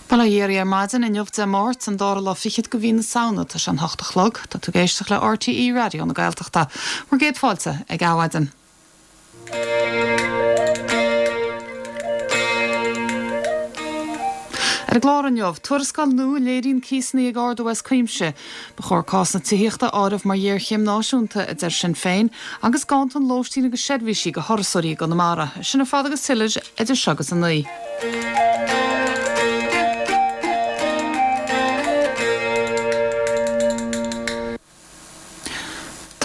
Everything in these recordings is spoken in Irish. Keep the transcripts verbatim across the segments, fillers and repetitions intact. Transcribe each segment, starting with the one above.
Bail ó Dhia oraibh ar maidin inniu Dé Máirt an dara lá fichead de mhí na Samhna tá sé an hocht a chlog, tá tú ag éisteacht le RTÉ Raidió na Gaeltachta. Bhur gcéad fáilte ag Adhmhaidin. Ar an gclár inniu, tuarascáil nua a léiríonn cíosanna ag ardú as cuimse. Ba chóir cás na tithíochta a áireamh mar ghéarchéim náisiúnta, a deir Sinn Féin, agus ganntan lóistín agus seirbhísí do thurasóirí i gConamara. Sin ar fad agus tuilleadh idir seo agus a naoi.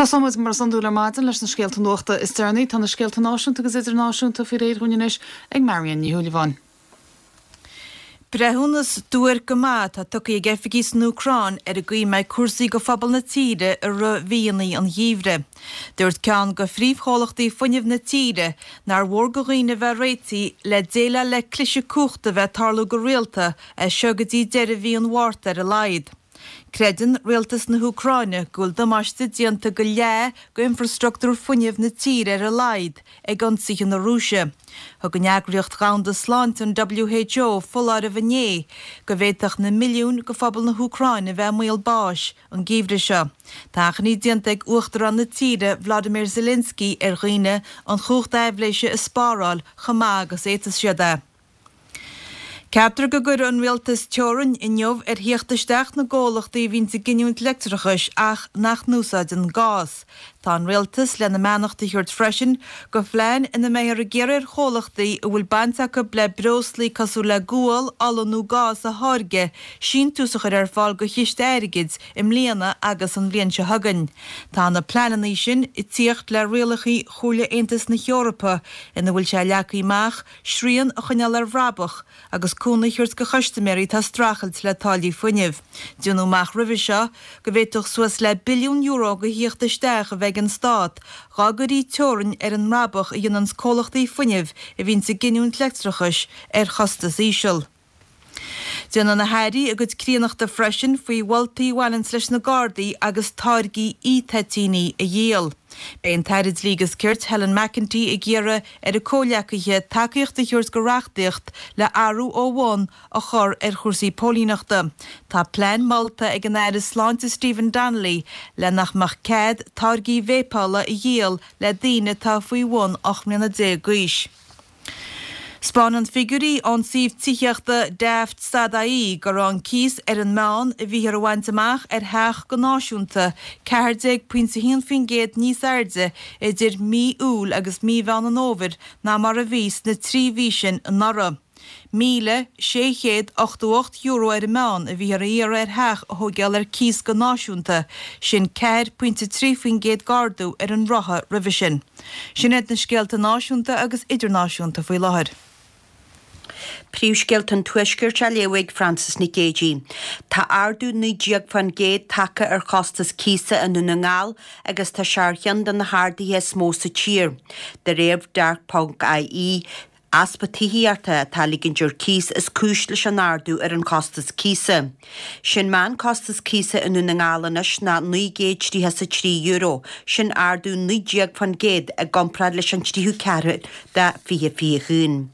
Tosóimid mar is iondúil ar maidin leis na scéalta nuachta is deireanaí. Tá na scéalta náisiúnta agus idirnáisiúnta faoi réir dhúinn anois ag Marion Ní Shúilleabháin. Breithiúnas duairc go maith atá tugtha ag oifigigh san Úcráin ar an gcaoi a mbeidh cúrsaí go phobal na tíre i rith mhíonna an gheimhridh. Dúirt ceann de phríomhchomhlachtaí fuinnimh na tíre nár mhór do dhaoine bheith réitithe le déileáil le cliseadh cumhachta a bheith ag tarlú go rialta as seo go dtí deireadh mhí an Mhárta ar a laghad. Creideann rialtas na hÚcráine go bhfuil damáiste déanta go leath d'infreastruchtúr fuinnimh na tíre ar a laghad ag ionsaithe na Rúise. Thug an Eagraíocht Dhomhanda Sláinte, an WHO, foláireamh inné go bhféadfadh na milliúin de phobal na hÚcráine bheith i mbaol báis an geimhreadh seo. Tá achainí déanta ag Uachtarán na tíre, Vladimir Zelensky, ar dhaoine an chumhacht aibhléise a spáráil chomh maith agus a fhéadfas siad é. Ceaptar go gcuirfidh an rialtas teorainn inniu ar theacht isteach na gcomhlachtaí a bhíonns ag giniúint leictreachais ach nach n-úsáideann gás. Tá an rialtas lena mbeannacht a thabhairt freisin go phlean ina mbeifear ag iarraidh ar chomhlachtaí a bhfuil baint acu le breoslaí cosúil le gual, ola nó gás a tháirgeadh síntiús a chur ar fáil go chiste airgid i mbliana agus an bhliain seo chugainn. Tá na pleananna sin ag tíocht le rialacha Chomhairle Aontas na hEorpa ina bhfuil sé leagtha amach srian a choinneáil ar bhrabach agus cúnamh a thabhairt go chustaiméirí atá ag streachailt le táillí fuinnimh. Déanadh amach roimhe seo go bhféadfadh suas le billiún euro de thíocht isteach a bheith ag an stát dhá gcuirí teorainn ar an mbrabach a dhéananns comhlachtaí fuinnimh a bhíonns ag giniúint leictreachais ar chostas íseal. Déanfaidh na hairí a gcuid críonnachta freisin faoi mholtaí a bhaineanns leis na Gardaí agus táirgí e-toitíní a dhíol. Beidh an tAire Dlí agus Cirt Helen McEntee ag iarraidh ar a comhghleacaithe tacaíocht a thabhairt go reachtaíocht le athrú ó bhun a chur ar chúrsaí póilíneachta. Tá plean molta ag an Aire Sláinte Stephen Donnelly le nach mbeadh cead táirgí véipeála a dhíol le daoine atá faoi bhun ocht mbliana déag d'aois. 'Spáineann figiúirí ón suíomh tithíochta Daft stad ie go raibh an cíos ar an meán a bhíthear a bhaint amach ar theach go náisiúnta ceathair déag pointe a haon faoin gcéad níos airde idir mí Iúil agus mí Mheán an Fhómhair ná mar a bhí sna trí mhí sin anuraidh. míle sé chéad ochtó ocht euro ar an meán a bhíthear a iarraidh ar theach a thóigeáil ar cíos go náisiúnta, sin ceathair pointe trí faoin gcéad d'ardú ar an ráta roimhe sin. Sin iad na scéalta náisiúnta agus idirnáisiúnta faoi láthair. Príomhscéalta an Tuaiscirt á léamh ag Frances Nic Géadaigh. Tá ardú naoi déag fán gcéad tagtha ar chostas cíosa i nDún na nGall agus tá sé ar cheann de na harduithe is mó sa tír. De réir Dearc ponc IE, Easpa tithíochta atá á ligint ar cíos is cúis leis an ardú ar an chostas cíosa. Sé'n meánchostas cíosa i nDún na nGall anois ná naoi gcéad tríocha 's a trí euro, sin ardú naoi déag fán gcéad i gcomparáid leis an tríú ceathrú de fiche fiche haon.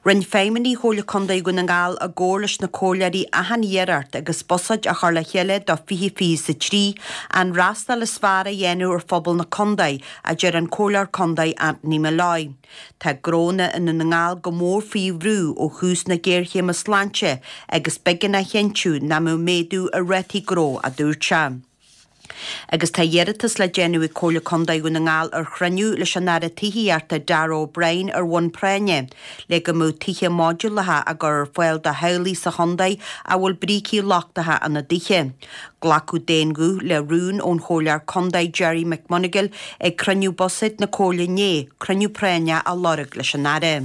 Rinne feidhmeannaigh Chomhairle Contae Dhún na nGall i gcomhar leis na comhairleoirí achan iarracht agus buiséad á chur le chéile do fiche fiche 's a trí, an fhreastal is fearr a dhéanamh ar phobal na contae, a deir an Comhairleoir Contae Anthony Molloy. Tá gnónna i nDún na nGall go mór faoi bhrú ó thús na géarchéime sláinte agus b'éigean a chinntiú nach mbeadh méadú ar rátaí gnó, a dúirt sé. Agus tá iarratas le déanamh ag Comhairle Contae Dhún na nGall ar chruinniú leis an Aire Tithíochta Darragh O'Brien ar bhonn práinne le go mbeadh tithe modúlacha á gcur ar fáil do theaghlaigh sa chontae a bhfuil brící lochtacha ina dtithe. Glacadh d'aon ghuth le rún ón Chomhairleoir Contae Gerry McMonagle ag cruinniú buiséid na Comhairle inné, cruinniú práinne a lorg leis an Aire.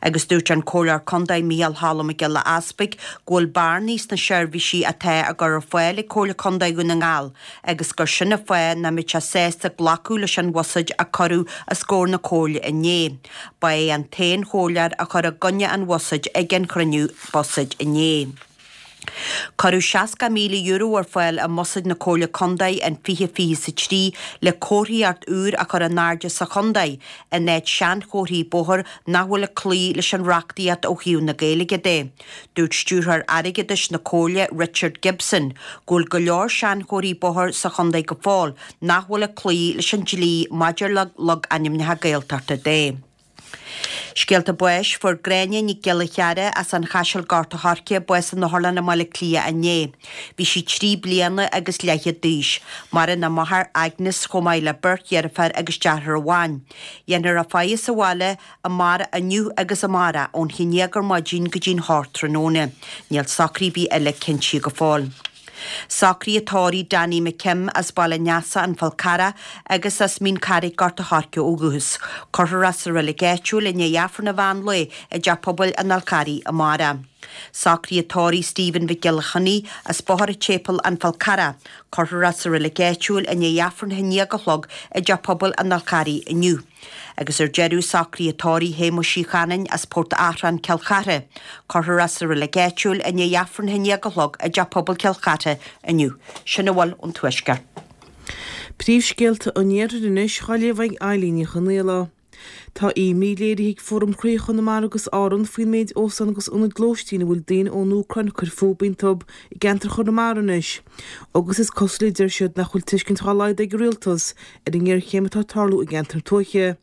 Agus dúirt an Comhairleoir Contae Micheál Cholm Mac Giolla Easpaig go bhfuil bearnaí sna seirbhísí atá á gcur ar fáil ag Comhairle Contae Dhún na nGall agus gur sin an fáth nach mbeadh sé sásta glacadh leis an bhuiséad a cuireadh os comhair na Comhairle inné. Ba é an t-aon chomhairleoir a chuir i gcoinne an bhuiséid ag an chruinniú buiséid inné. Cuireadh seasca míle euro ar fáil i mbuiséad na Comhairle Contae in fiche fiche a trí le comharthaíocht úr a chur in airde sa chontae in áit seanchomharthaí bóthair nach bhfuil ag cloí leis an reachtaíocht ó thaobh na Gaeilge de. Dúirt Stiúrthóir Airgeadais na Comhairle, Richard Gibson, go bhfuil go leor seanchomharthaí bóthair sa chontae go fóill nach bhfuil ag cloí leis an dlí maidir le logainmneacha Gaeltachta de. Scéalta báis, Fuair Gráinne Nic Giolla Chearra as an Chaiseal Gort a' Choirce bás in Otharlann i mBaile Átha Cliath inné. Bhí sí trí bliana agus leathchéad d'aois. Maireann a máthair Agnes chomh maith le beirt dheirféar agus deartháir amháin. Dhéanfar a faire sa bhaile amárach inniu agus amárach ón haon déag ar maidin go dtí'n hocht tráthnóna. Níl socruithe ar bith eile cinntithe go fóill. Socruithe tórraimh Danny McKim as Baile an Easa, An Fál Carrach, agus as Mín Carraigh, Gort a' Choirce ó dhúchas. Cuirfear é sa reilig áitiúil i ndiaidh Aifreann an mheán lae i dTeach Pobail an Fháil Charraigh amárach. Socruithe tórraimh Stephen Mhic Giolla Chainnigh as Bóthar an tSéipéil, An Fál Carrach. Cuirfear é sa reilig áitiúil i ndiaidh Aifreann a haon déag a chlog i dTeach Pobail an Fháil Charraigh inniu. Agus ar deireadh, socruithe tórraimh Shéamuis Uí Chanainn as Port Achrann, Cill Chartha. Cuirfear é sa reilig áitiúil i ndiaidh Aifreann a haon déag a chlog i dTeach Pobail Chill Chartha inniu. Sin a bhfuil ón Tuaisceart. Príomhscéalta an Iarthair anois á léamh ag Eilín Ní Chonaola. Tá imní léirithe ag Fóram Chroí Chonamara agus Árann faoin méid óstán agus ionaid lóistín a bhfuil daoine ón Úcráin ag cur fúthu iontu i gceantar Chonamara anois agus is cosúil a deir siad nach bhfuil tuiscint dá laghad ag an rialtas ar an ngéarchéim atá ag tarlú i gceantar na tuaithe.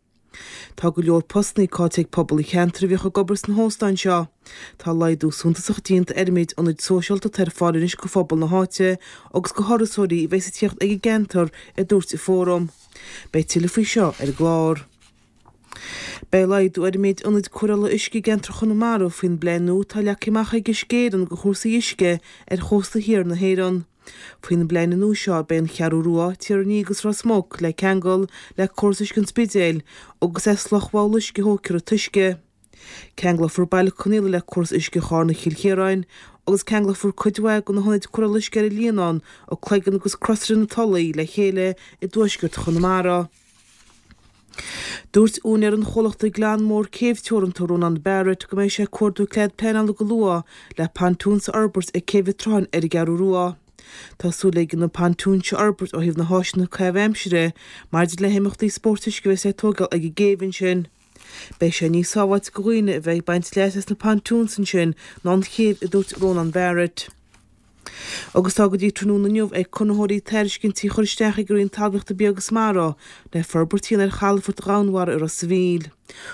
Tá go leor postanna caillte ag pobal an cheantair a bhíodh ag obair sna hóstáin seo. Tá laghdú suntasach déanta ar an méid ionaid sóisialta atá ar fáil anois go phobal na háite agus go thurasóirí a bheas ag tíocht ag an gceantar, a dúirt an Fóram. Beidh tuilleadh faoi seo ar an gclár. Beidh laghdú ar an méid ionaid cóireála uisce i gceantar Chonamara faoin bplean nua atá leagtha amach ag Uisce Éireann do chúrsaí uisce ar chósta thiar na hÉireann. Faoin bplean nua seo beidh an Cheathrú Rua, Tír an Fhia agus Ros Muc le ceangal le córas uisce an Spidéil agus as Loch Mheabhla uisce a thógfar an t-uisce. Ceanglófar Baile Conaola le córas uisce Charna Chill Chiaráin agus ceanglófar cuid mhaith de na hionaid cóireála uisce ar an Líonán, An Cloigeann agus Crosaire na Tulaí le chéile i dtuaisceart Chonamara. Dúirt úinéir an chomhlachta Glanmore Céibh Teoranta, Rónán Barrett, go mbeidh sé ag cuardú cead pleanála go luath le pontoons a fhorbairt ag Céibh an tSrutháin ar an gCeathrú Rua. Tá súil aige na pontoons seo a fhorbairt ó thaobh na háiseanna caitheamh aimsire maidir le himeachtaí spóirt uisce a bheas le tógáil ag an gcéibh ansin. Beidh sé níos sábháilte do dhaoine a bheidh ag baint leas as na pontoons ansin ná an chéibh, a dúirt Rónán Barrett. Agus tá go dtí tráthnóna inniu ag conraitheoirí tairiscintí a chur isteach ag an Roinn Talmhaíochta Bia agus Mara le forbairt a dhéanamh ar chalafort Dhomhanmhara i Ros a' Mhíl.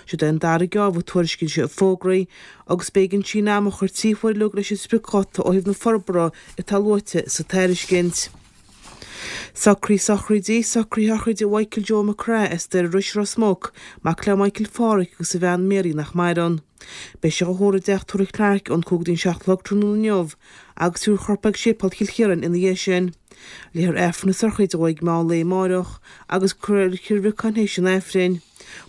Siod é an dara geábh a tuairiscíonn siad fógraí agus b'éigean síneadh ama a chur trí huaire uilig leis an spriocdháta ó thaobh na forbartha atá luaite sa tairiscint. Socruithe sochraide, Socruithe sochraide Mhichael Joe McCraith as Doire Rois, Ros Muc, mac le Michael Pháraic agus a bhean Mary nach maireann. Beidh sé á thórramh i dteach tórraimh Clarke ón cúig go dtí an seacht a chlog tráthnóna inniu agus tabharfar a chorp ag Séipéal Chill Chiaráin ina dhiaidh sin. Léifear Aifreann na sochraide dhó ag meán lae amáireach agus cuirfear i Reilig Chill Bhriocáin théis an Aifrinn.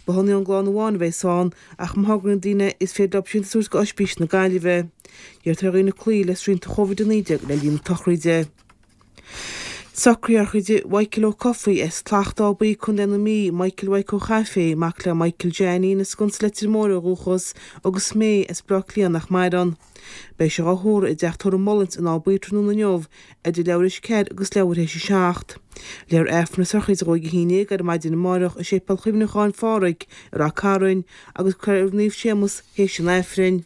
Botha an gclann amháin a bheas ann ach má thograíonn daoine is féidir leo síntiús a thabhairt go Oispís na Gaillimhe. Iarrtar ar dhaoine cloí le srianta Chóivid a naoi déag le linn na sochraide. Socruithe sochraide Mhichael Ó Cofaigh as Clach Dá Buí, Contae na Mí, Michael Mhaidhc Ó Chaifé, mac le Michael Jeainín as Sconsa Leitir Móir ó dhúchas, agus May as Baile Átha Cliath nach maireann. Beidh sé á thórramh i dTeach Tórraimh Mullins in Áth Buí tráthnóna inniu idir leathuair théis a ceathair agus leathuair théis a seacht. Léifear Aifreann na sochraide dhó ag a haon déag ar maidin amáireach i Séipéal Chuimhneacháin Phádraig i Ráth Cairn agus cuirfear i Reilig Naomh Séamus théis an Aifrinn.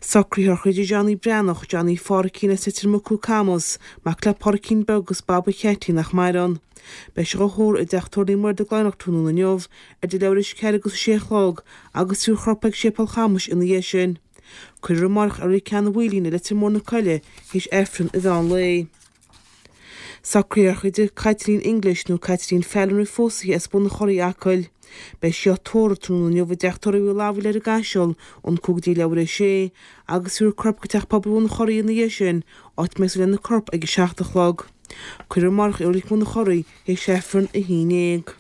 Socruithe sochraide Johnny Breathnach, Johnny Pháraic as Leitir Mucú Camus, mac le Pádraicín Beag agus Baba Cheaití nach maireann. Beidh sé á thórramh i dTeach Tórraimh Naomh Muire Dún Laighneach tráthnóna inniu idir leathuair théis a ceathair agus a sé a chlog agus tabharfar a chorp ag Séipéal Chamuis ina dhiaidh sin. Cuirfear amárach i Reilig Ceann an Mhaoilín i Leitir Móir na Coille théis Aifreann an mheán lae. Socruithe sochraide Caitlín English nó Caitlín Fallon roimh phósadh as Bun an Churraigh, Acaill. Beidh sí á tórramh tráthnóna inniu i dTeach Tórraimh Uí Fhlathbhaile ar an gCaiseal ón cúig go dtí leathuair théis a sé agus tabharfar a corp go Teach Pobail Bhun an Churraigh ina dhiaidh sin, áit a mbeidh súil lena corp ag a seacht a chlog. Cuirfear amárach í i Reilig Bhun an Churraigh théis Aifreann a haon déag.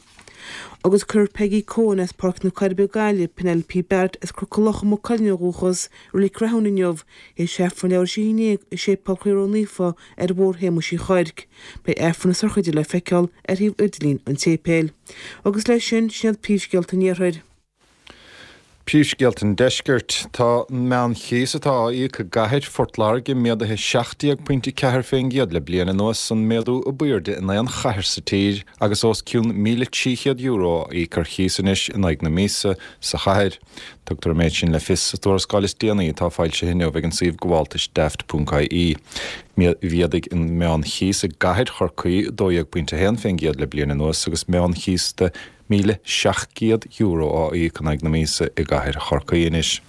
Agus cuirfear Peggy Coen as Páirc na Coiribe, Gaillimh, Penelope Barrett as Cnoc na Locha, Maigh Cuilinn ó dhúchas, i Reilig Rathúin inniu, théis Aifreann leathuair théis a haon déag i Séipéal Chroí Ró-Naofa ar Bhóthar Shéamuis Uí Chuirc. Beidh Aifreann na sochraide le feiceáil ar shuíomh idirlín an tséipéil. Agus leis sin, sin iad príomhscéalta an Iarthair. Príomhscéalta an Deiscirt. Tá an meánchíos atá á íoc i gcathair Phort Láirge méadaithe seacht déag pointe ceathair faoin gcéad le bliain anuas, an méadú ab airde in aon chathair sa tír agus os cionn míle trí chéad euro á íoc ar chíos anois in aghaidh na míosa sa chathair. Tugtar an méid sin le fios sa tuarascáil is déanaí atá foilsithe inniu ag an suíomh gabháltais daft ponc ie. Mhéadaigh an meánchíos i gcathair Chorcaí dó dhéag pointe a haon faoin gcéad le bliain anuas agus meánchíos de míle seacht gcéad euro á íoc in aghaidh na míosa i gcathair Chorcaí anois.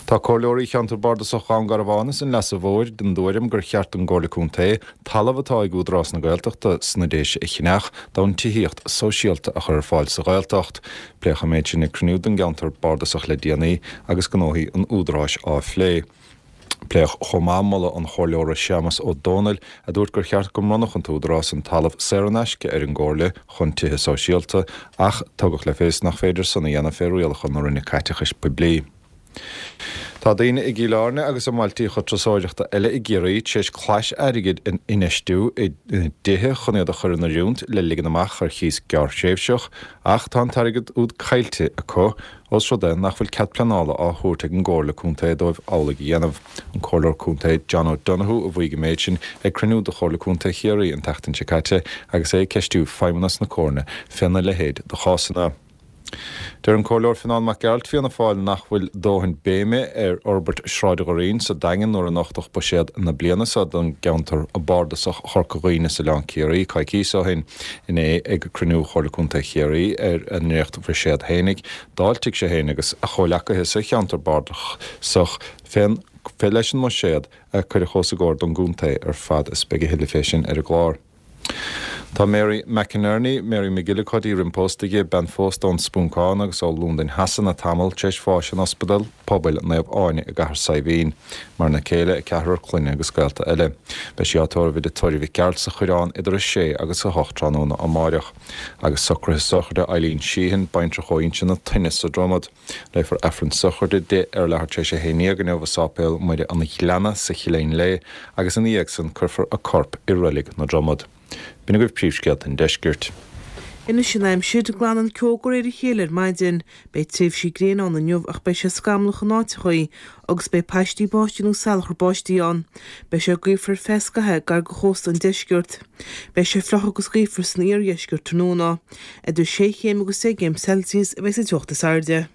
Tá comhairleoirí cheantar bardasach Dhún Garbhán is an Leasa Mhóir den dtuairim gur cheart don gComhairle Contae talamh atá ag Údarás na Gaeltachta sna Déise a cheannach d'fhonn tithíocht sóisialta a chur ar fáil sa Ghaeltacht. Pléadh an méid sin ag cruinniú den gceantar bardasach le déanaí agus gnóthaí an Údaráis á phlé. Pléadh chomh maith moladh an Chomhairleora Séamas Ó Dónaill a dúirt gur cheart go mbronnfadh an tÚdarás an talamh saor in aisce ar an gComhairle chun tithe sóisialta ach tugadh le fios nach féidir san a dhéanamh fé rialacha na Roinne Caiteachais Poiblí. Tá daoine i gCill Airne agus i mbailtíocha turasóireachta eile i gCiarraí tar éis clais airgid a infheistiú i dtithe chun iad a chur in oiriúint le ligean amach ar chíos gearrthréimhseach ach tá an t-airgead úd caillte acu ós rud é nach bhfuil cead pleanála á thabhairt ag an gComhairle Contae dóibh amhlaidh a dhéanamh. An Comhairleoir Contae John O'Donoghue a mhaígh an méid sin ag cruinniú de Chomhairle Contae Chiarraí an tseachtain seo caite agus é ag ceistiú Feidhmeannas na Comhairle féna leithéid de chásanna. Deir an Comhairleoir Fionán Mac Gearailt, Fianna Fáil, nach bhfuil dóthain béime ar fhorbairt Shráid Dhoirín sa Daingean nuair a nochtadh buiséad na bliana seo don gceantar bardasach Chorca Dhuibhne is Oileán Ciarraí coicís ó shin. Inné ag cruinniú Chomhairle Contae Chiarraí ar a ndréacht-bhuiséad fhéinig, d'fháiltigh sé fhéin agus a chomhleacaithe sa cheantar bardasach fén leis an mbuiséad a cuireadh os a gcomhair don gcontae ar fad is beidh a thuilleadh fé sin ar an gclár. Tá Mary McInerney, Mary McGillicuddy roim pósta di, bean phósta ón Spúncán agus ó Londain Shasana tamall tar éis bháis in Ospidéal Pobail Naomh Áine i gCathair Saidhbhín. Maireann a céile, a ceathrar clainne agus gaolta eile. Beidh sí á tórramh i dTigh Tórraimh Mhic Gearailt sa Choireán idir a sé agus a hocht tráthnóna amáireach. Agus socruithe sochraide Eileen Sheehan, baintreach ó Inse na Toinne sa Dromad. Léifear Aifreann sochraide di ar leathuair tar éis a haon déag inniu i Sáipéal Muire an Ghleanna sa Chillín Léith agus ina dhiaidh san cuirfear a corp i Reilig na Dromad. B'in agaibh príomhscéalta an deiscirt. Anois an aimsir, glanann ceo de réir a chéile ar maidin. Beidh tréimhsí gréine ann inniu ach beidh sé scamallach in áiteachaí agus beidh paistí báistí nó salachar báistí ann. Beidh sé gaofar ar feadh scaithimh gar do chósta an deiscirt. Beidh sé fliuch agus gaofar san iardheisceart tráthnóna. Idir sé chéim agus deich gcéim Celsius a bheidh sa teocht is airde.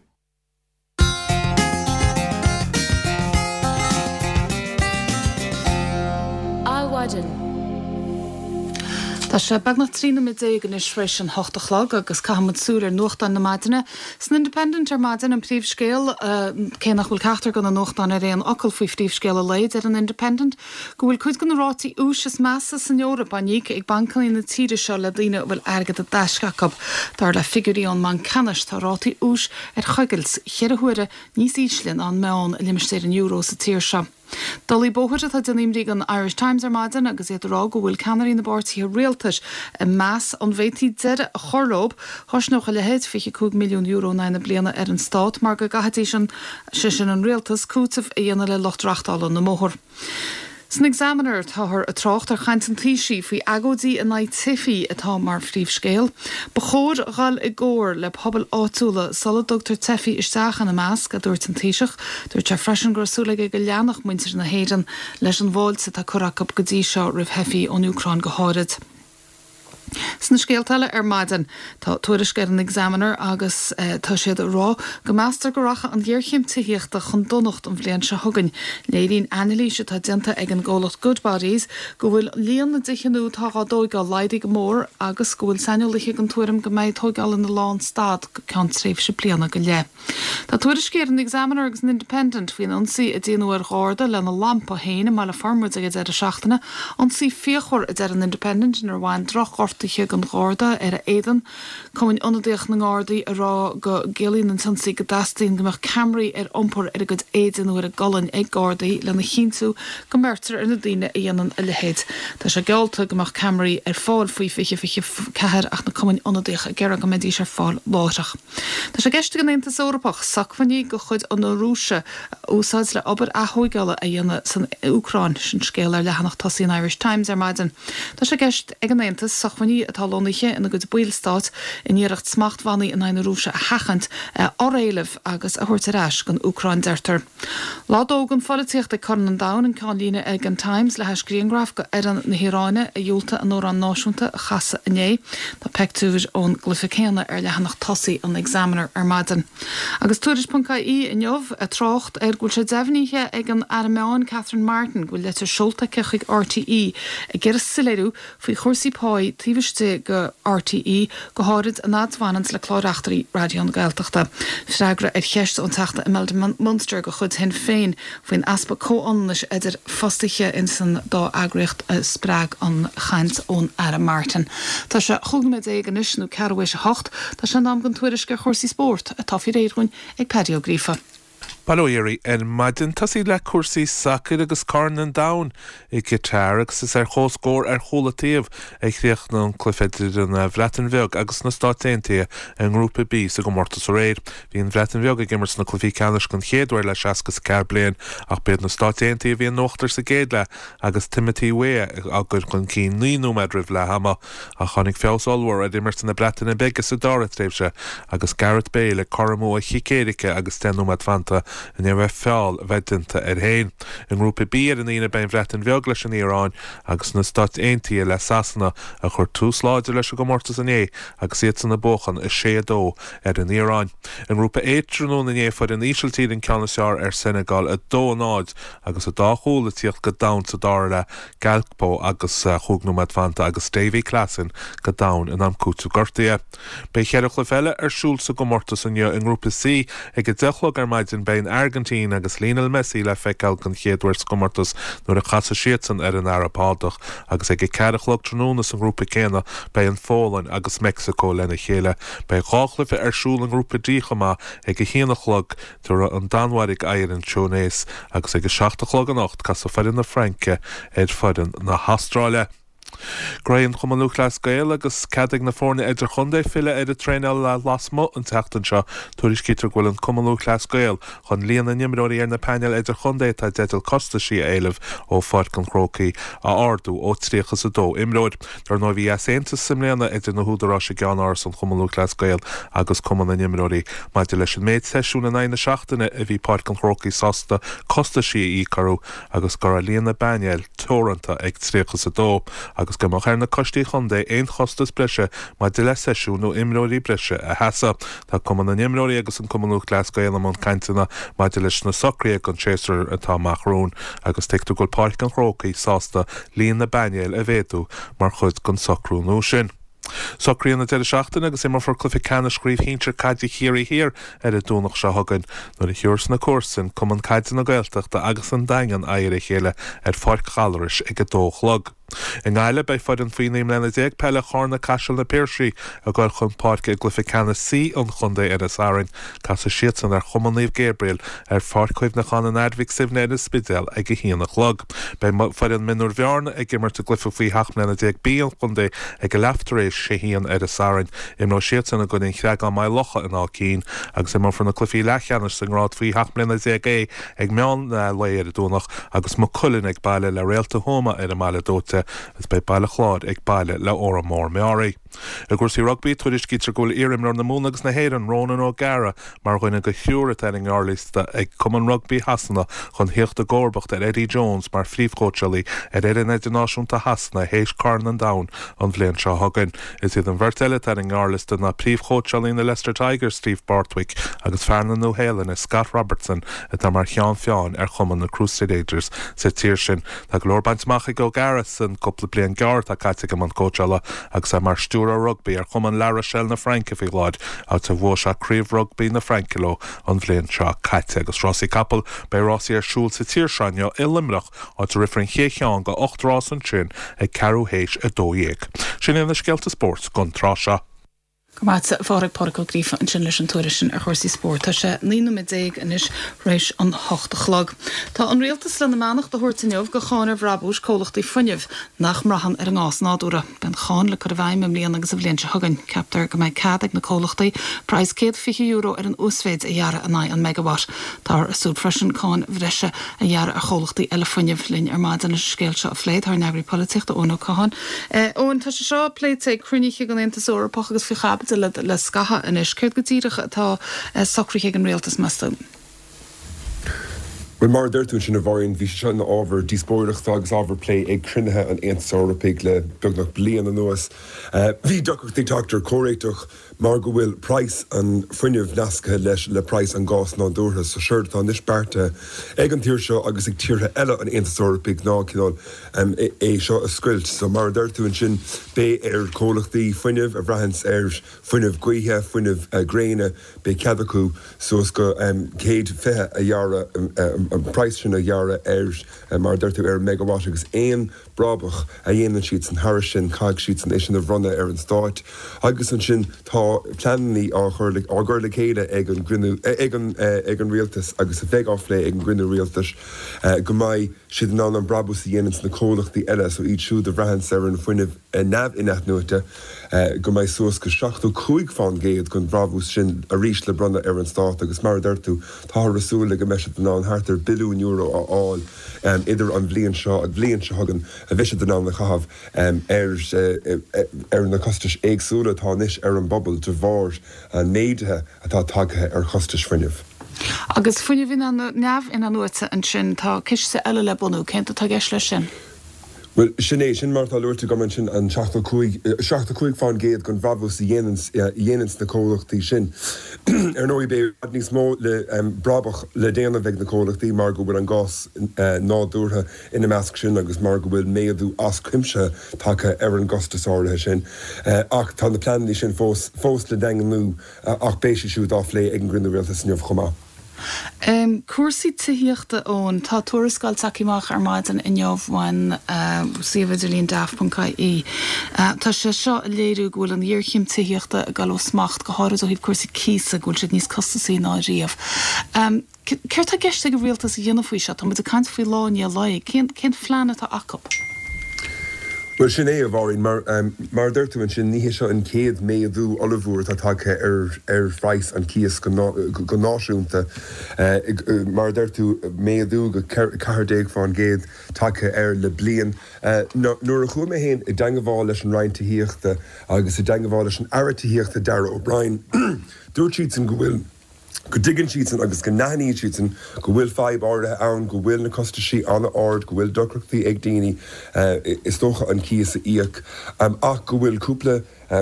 Adhmhaidin. Tá sé beagnach trí nóiméad déag anois tar éis an hocht a chlog agus caithfimid súil ar nuachtáin na maidine. San Independent ar maidin an príomhscéal, cé nach bhfuil ceachtar de na nuachtáin ar aon fhocal faoi phríomhscéal an lae, deir an Independent go bhfuil cuid de na rátaí úis is measa san Eoraip á n-íoc ag bancanna na tíre seo le daoine a bhfuil airgead i dtaisce acu. Dar le figiúirí ón mBanc Ceannais tá rátaí úis ar choigilt cheithre huaire níos ísle ná an meán i limistéar an euro sa tír seo. Dolaí bóthair atá ag déanamh imní don Irish Times ar maidin agus iad ag rá go bhfuil ceannairí na bpáirtithe rialtais ag meas an bhféadfaí deireadh a chur leo. Chosnódh a leithéid fiche cúig milliún euro in aghaidh na bliana ar an stát mar go gcaithfidís an, sé sin an rialtas, cúiteamh a dhéanamh le lucht reachtála na mbóthar. San Examiner táthar ag trácht ar chaint an Taoisigh faoi agóidí in aghaidh teifigh atá mar phríomhscéal. Ba chóir dhul i gcomhar le pobail áitiúla sula dtugtar teifigh isteach ina measc, a dúirt an Taoiseach. Dúirt sé freisin go raibh súil aige go leanfadh muintir na hÉireann leis an bhfáilte atá curtha acu go dtí seo roimh theifigh ón Úcráin go háirid. Sna scéalta eile ar maidin, tá tuairisc ar an Examiner agus tá siad ag rá go meastar go rachaidh an ghéarchéim tithíochta chun donacht an bhliain seo chugainn. Léiríonn anailís atá déanta ag an gcomhlacht Goodbodies go bhfuil líon na dtithe nua atá á dtóigeáil laghdaithe go mór agus go bhfuil saineolaithe den tuairim go mbeidh tóigeáil ina lánstad go ceann tréimhse bliana go leith. Tá tuairiscí ar an Examiner agus an Independent faoin ionsaí a déanadh ar gharda lena lampa féin i mBaile Formaid ag an deireadh seachtaine, ionsaí fíochmhar a deir an Independent inar bhain drochghortuithe don gharda ar a éadan. Cumann Ionadaíoch na nGardaí ag rá go gciallaíonn an t-ionsaí go dteastaíonn go mbeadh ceamaraí ar iompar ar a gcuid éide nó ar a gcolainn ag Gardaí lena chinntiú go mbeirtear ar na daoine a dhéanann a leithéid. Tá sé geallta go mbeadh ceamaraí ar fáil faoi fiche fiche ceathair ach na cumainn ionadaíocha ag iarraidh go mbeidís ar fáil láithreach. Tá sé i gceist ag an Aontas Eorpach socmhainní de chuid na Rúise a úsáid le obair athógála a dhéanamh san Úcráin, sin scéal ar leathanach tosaigh an Irish Times ar maidin. Tá sé i gceist ag an Aontas socmhainní acmhainní atá lonnaithe ina gcuid ballstát in iarracht smachtbhannaí in aghaidh na Rúise a sheachaint a fhoréileamh agus a thabhairt ar ais don Úcráin deirtear. Lá dó don pholaitíocht ag Corn an Domhain an ceannlíne ag an Times le hais grianghraf d'fhoireann na hIaráine a dhiúltaigh a n-amhrán náisiúnta a chasadh inné. Tá pictiúr ón gcluiche céanna ar leathanach tosaigh an Examiner ar maidin. Agus Tuairisc.ie inniu ag trácht ar go bhfuil sé deimhnithe ag an Aire Meán Catherine Martin go bhfuil leitir seolta aici chuig RTÉ ag iarraidh soiléiriú faoi chúrsaí páí taobh istigh de RTÉ go háirid an fhad a bhaineann le clár-reachtairí Raidió na Gaeltachta. Freagra ar cheist ón Teachta Imelda Munster de chuid Shinn Féin faoin easpa comhionannais idir fostaithe in san dá eagraíocht a spreag an chaint ón Aire Martin. Tá sé chúig nóiméad déag anois nó ceathrú théis a hocht, Tá sé in am don tuairisc ar chúrsaí spóirt atá faoi réir againn ag Paddy Ó Gríofa. Bail ó Dhia oraibh ar maidin tosaí le cúrsaí sacair agus Corn an Domhain i gCatar agus is ar comhscór ar chúl an taobh a chríochnaigh an cluiche idir an Bhreatain Bheag agus na Stáit Aontaithe i ngrúpa B sa gcomórtas aréir. Bhí an Bhreatain Bheag ag imirt sna cluichí ceannais den chéad uair le seasca is a ceathair bliain ach b'iad na Stáit Aontaithe a bhí in uachtar sa gcéad leath agus Timothy Weah á gcur chun cinn naoi nóiméad roimh leath ama ach tháinig feabhas ollmhór ar imirt na Breataine Bige sa dara tréimhse agus Gareth Bale ag cur amú a chic éirice agus deich nóiméad fanta i ndiaidh feall a bheith déanta air féin. I ngrúpa B ar an Aoine beidh an Bhreatain Bheag leis an Iaráin agus na Stáit Aontaithe le Sasana a chuir tús láidir leis an gcomórtas inné agus iadsan ag buachan a sé a dó ar an Iaráin. I ngrúpa A tráthnóna inné fuair an Ísiltír an ceann is fearr ar Senegal a dó a náid agus an dá chúl ag tíocht go domhain sa dara leath Gakpo agus chúig nóiméad fanta agus Davy Klaassen go domhain in am cúiteamh gortaithe. Beidh ceithre chluiche eile ar siúl sa gcomórtas inniu i ngrúpa C ag a deich a chlog ar maidin beidh an Airgintín agus Lionel Messi le feiceáil den chéad uair sa gcomórtas nuair a chasfaidh siadsan ar an Araib Shádach agus ag a ceathair a chlog tráthnóna sa ngrúpa céanna beidh an Pholainn agus Meicsiceo lena chéile. Beidh dhá chluiche ar siúl i ngrúpa D chomh maith ag a haon a chlog tabharfaidh an Danmhairg aghaidh ar an Túinéis agus ag a seacht a chlog anocht casfaidh foireann na Fraince ar foireann na hAstráile. Graí an Chumann Lúthchleas Gael agus cead ag na foirne idirchontae filleadh ar an traenáil lasmuigh an tseachtain seo tuairiscítear go bhfuil an Cumann Lúthchleas Gael chun líon na n-imreoirí ar na painéil idirchontae atá i dteideal costaisí a éileamh ó Pháirc an Chrócaigh a ardú ó tríocha is a dó imreoir. Dar ndóigh bhí easaontas i mbliana idir na húdaráis i gceannáras an Chumann Lúthchleas Gael agus Cumann na n-imreoirí maidir leis an méid seisiún in aghaidh na seachtaine a bhí Páirc an Chrócaigh sásta costaisí a íoc orthu agus go raibh líon na bpainéal teoranta ag tríocha is a dó. agus go mbeadh ar na coistí chontae aon chostas breise maidir le seisiún nó imreoirí breise a sheasamh. Tá Cumann na n-imreoirí agus an Cumann Lúthchleas Gael i mbun cainteanna maidir leis na socruithe don séasúr atá amach romhainn agus tuigtear go bhfuil Páirc an Chrócaigh sásta líon na bpainéal a mhéadú mar chuid den socrú nua sin. Socruithe an deireadh seachtaine agus imreofar cluiche ceannais Chraobh Shinsir Caide Chiarraí Thiar ar an Domhnach seo chugainn nuair a thabharfas na comharsana Cumann Caide na Gaeltachta agus an Daingean aghaidh ar a chéile ar Pháirc Ghallarais ag a dó a chlog. I nGaillimh beidh foireann faoi naoi mbliana déag peile Charna Caiseal na Piarsaigh ag dul chun páirce i gcluiche ceannais C an chontae ar an Satharn. Casfaidh siadsan ar Chumann Naomh Gabriel ar Pháirc Chuimhneacháin an Athar Mhic Suibhne ar an Spidéal ag a haon a chlog. Beidh foireann Mionúir Bhearna ag imirt i gcluiche faoi sheacht mbliana déag B an chontae ag a leath tar éis a haon ar an Satharn. Imreoidh siadsan i gcoinne an Chreagáin Maigh Locha in Áth Cinn agus imreofar na cluichí leathcheannais sa ngrád faoi sheacht mbliana déag A ag meán lae ar an Domhnach agus Maigh Cuilinn ag baile le Réalta Thuama ar an mBaile Dóite agus beidh Baile Chláir ag baile le Órán Mór Meáraí. I gcúrsaí rugbaí tuairiscítear go bhfuil iarimreoir na Mumhan agus na hÉireann Ronan O'Gara mar dhuine de thriúr atá ar an ngearrliosta ag Cumann Rugbaí Shasana chun theacht i gcomharbacht ar Eddie Jones mar phríomhchóitseálaí ar fhoireann idirnáisiúnta Shasana théis Corn an Domhain an bhliain seo chugainn. Is iad an bheirt eile atá ar an ngearrliosta ná príomhchóitseálaí na Leicester Tigers Steve Borthwick agus fear na Nua-Shéalainne Scott Robertson atá mar cheann feadhain ar chumann na Crusaders sa tír sin. Tá go leor bainte amach ag O'Gara san cúpla bliain gearr atá caite aige i mbun cóitseála agus é mar stiúrthóir rugbaí ar chumann La Rochelle na Fraince faoi láthair áit a bhuaigh sé craobh rugbaí na Fraince leo an bhliain seo caite agus rásaí capall beidh rásaí ar siúl sa tír seo inniu i Luimneach áit a rithfear an chéad cheann de ocht rás ansin ag ceathrú théis a dó dhéag. Sin iad na scéalta spóirt don tráth seo. Go maith a Phádraig, Pádraig Ó Gríofa ansin leis an tuairisc sin ar chúrsaí spóirt. Tá sé naoi nóiméad déag anois tar éis an hocht a chlog. Tá an rialtas lena mbeannacht a thabhairt inniu go cháin ar bhrabúis comhlachtaí fuinnimh nach mbraitheann ar an ngás nádúrtha. Beidh an cháin le cur i bhfeidhm i mbliana agus an bhliain seo chugainn. Ceaptar go mbeidh cead ag na comhlachtaí praghas céad fiche euro ar an uasmhéid a ghearradh in aghaidh an megawatt. Táthar ag súil freisin cáin bhreise a ghearradh ar chomhlachtaí eile fuinnimh. Linn ar maidin leis an scéal seo a phlé tá ár n-eagraí polaitíochta Eoin Ó Catháin. Eoin, tá sé seo pléite ag cruinnithe den Aontas Eorpach agus faoi chaibidil le, le scaitheamh anois. Céard go díreach atá socraithe ag an rialtas meas tú? Bhuel, mar a deir tú ansin a Mháirín, bhí sé seo ina ábhar díospóireachta agus ábhar plé ag cruinnithe an Aontais Eorpaigh le beagnach bliain anuas. Bhí deacrachtaí teacht ar chomhréiteach mar go bhfuil praghas an fuinnimh nasctha leis le praghas an gáis nádúrtha. So séard atá anois beartaithe ag an tír seo agus ag tíortha eile an Aontais Eorpaigh ná cineál é seo a scoilt. So mar a deir tú ansin, beidh ar chomhlachtaí fuinnimh a bhraitheanns ar fuinneamh gaoithe, fuinneamh gréine, beidh cead acu suas go céad fiche a ghearradh, an praghas sin a ghearradh ar, mar a deir tú, ar an megawatt agus aon brabach a dhéanann siadsan thairis sin, caithfidh siadsan é sin a bhronnadh ar an Stát. Agus ansin tá pleananna á chur, á gcur le chéile ag an gcruinniú, ag an, ag an Rialtas agus a bheidh á phlé ag an gcruinniú Rialtais go mbeidh siad in ann an brabús a dhéananns na comhlachtaí eile, so iad siúd a bhraitheanns ar an bhfuinneamh neamh-inathnuaite, go mbeidh suas go seachtó cúig fán gcéad den bhrabús sin arís le bronnadh ar an Stát agus mar a deir tú, táthar ag súil le go mbeidh siad in ann thart ar billiún euro a fháil idir an bhliain seo agus bhliain seo chugainn a bheidh siad in ann a chaitheamh ar ar na costais éagsúla atá anois ar an bpobal de bharr an méadaithe atá tagtha ar chostais fuinnimh. Agus fuinneamh neamh-inathnuaite ansin, tá ciste eile le bunú, céard atá i gceist leis sin? Bhuel, sin é, sin mar atá luaite agam ansin, an seachtó cúig, seachtó cúig fán gcéad den bhrabús a dhéananns, a dhéananns na comhlachtaí sin. Ar ndóigh, beidh i bhfad níos mó le, brabach le déanamh ag na comhlachtaí mar go bhfuil an gás nádúrtha ina measc sin agus mar go bhfuil méadú as cuimse tagtha ar an gcostas áirithe sin. Ach tá na pleananna sin fós, fós le daingniú ach beidh siad siúd á phlé ag an gcruinniú rialtais inniu chomh maith. Cúrsaí tithíochta, Eoin, tá tuarascáil tagtha amach ar maidin inniu ón suíomh idirlín daft ponc ie. Tá sé seo ag léiriú go bhfuil an ghéarchéim tithíochta ag dul ó smacht, go háirid ó thaobh cúrsaí cíosa, go bhfuil siad níos costasaí ná riamh. Céard tá i gceist ag an rialtas a dhéanamh faoi seo? Tá muid ag caint faoi lá i ndiaidh lae. Cén cén phlean atá acu? Bhuel, sin é, a Mháirín. Mar, mar a deir tú ansin, ní hé seo an chéad méadú ollmhór atá tagtha ar, ar phraghas an chíos go, go náisiúnta. Mar a deir tú, méadú go ceathair déag fán gcéad tagtha air le bliain. Nuair a chuaigh mé féin i dteangabháil leis an Roinn Tithíochta agus i dteangabháil leis an Aire Tithíochta Darragh O'Brien, dúirt siadsan go bhfuil, go dtuigeann siadsan agus go n-aithníonn siadsan go bhfuil fadhb áirithe ann, go bhfuil na costaisí an-ard, go bhfuil deacrachtaí ag daoine, is dócha, an cíos a íoc, ach go bhfuil cúpla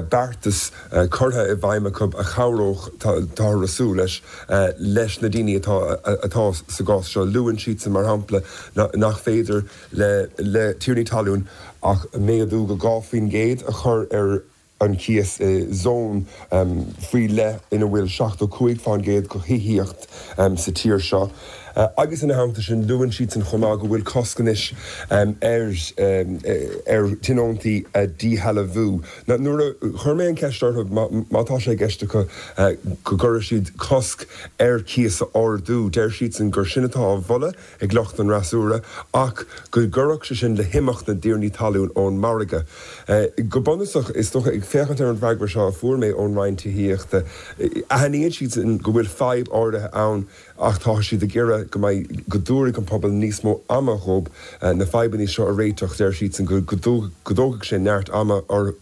beartas curtha i bhfeidhm acu a chabhródh, táthar ag súil leis, leis na daoine atá atá sa gcás seo. Luann siadsan, mar shampla, nach féidir le le tiarnaí talún ach méadú go dhá faoin gcéad a chur ar an cíos i zón faoi leith ina bhfuil seachtó cúig fán gcéad de thithíocht sa tír seo. Agus ina theannta sin, luann siadsan chomh maith go bhfuil cosc anois ar ar tionóntaí a dhíshealbhú. Nuair a chuir mé an cheist orthu má tá sé i gceist acu go gcuirfidh siad cosc ar chíos a ardú, deir siadsan gur sin atá á mholadh ag lucht an fhreasúra ach go gcuirfeadh sé sin le himeacht na dtiarnaí talún ón margadh. Go bunúsach, is dócha, ag féachaint ar an bhfreagra seo a fuair mé ón Roinn Tithíochta, aithníonn siadsan go bhfuil fadhb áirithe ann ach tá siad ag iarraidh go mbeidh, go dtabharfaidh an pobal níos mó ama dhób na fadhbanna seo a réiteach. Deir siadsan go dtógfaidh sé neart ama, go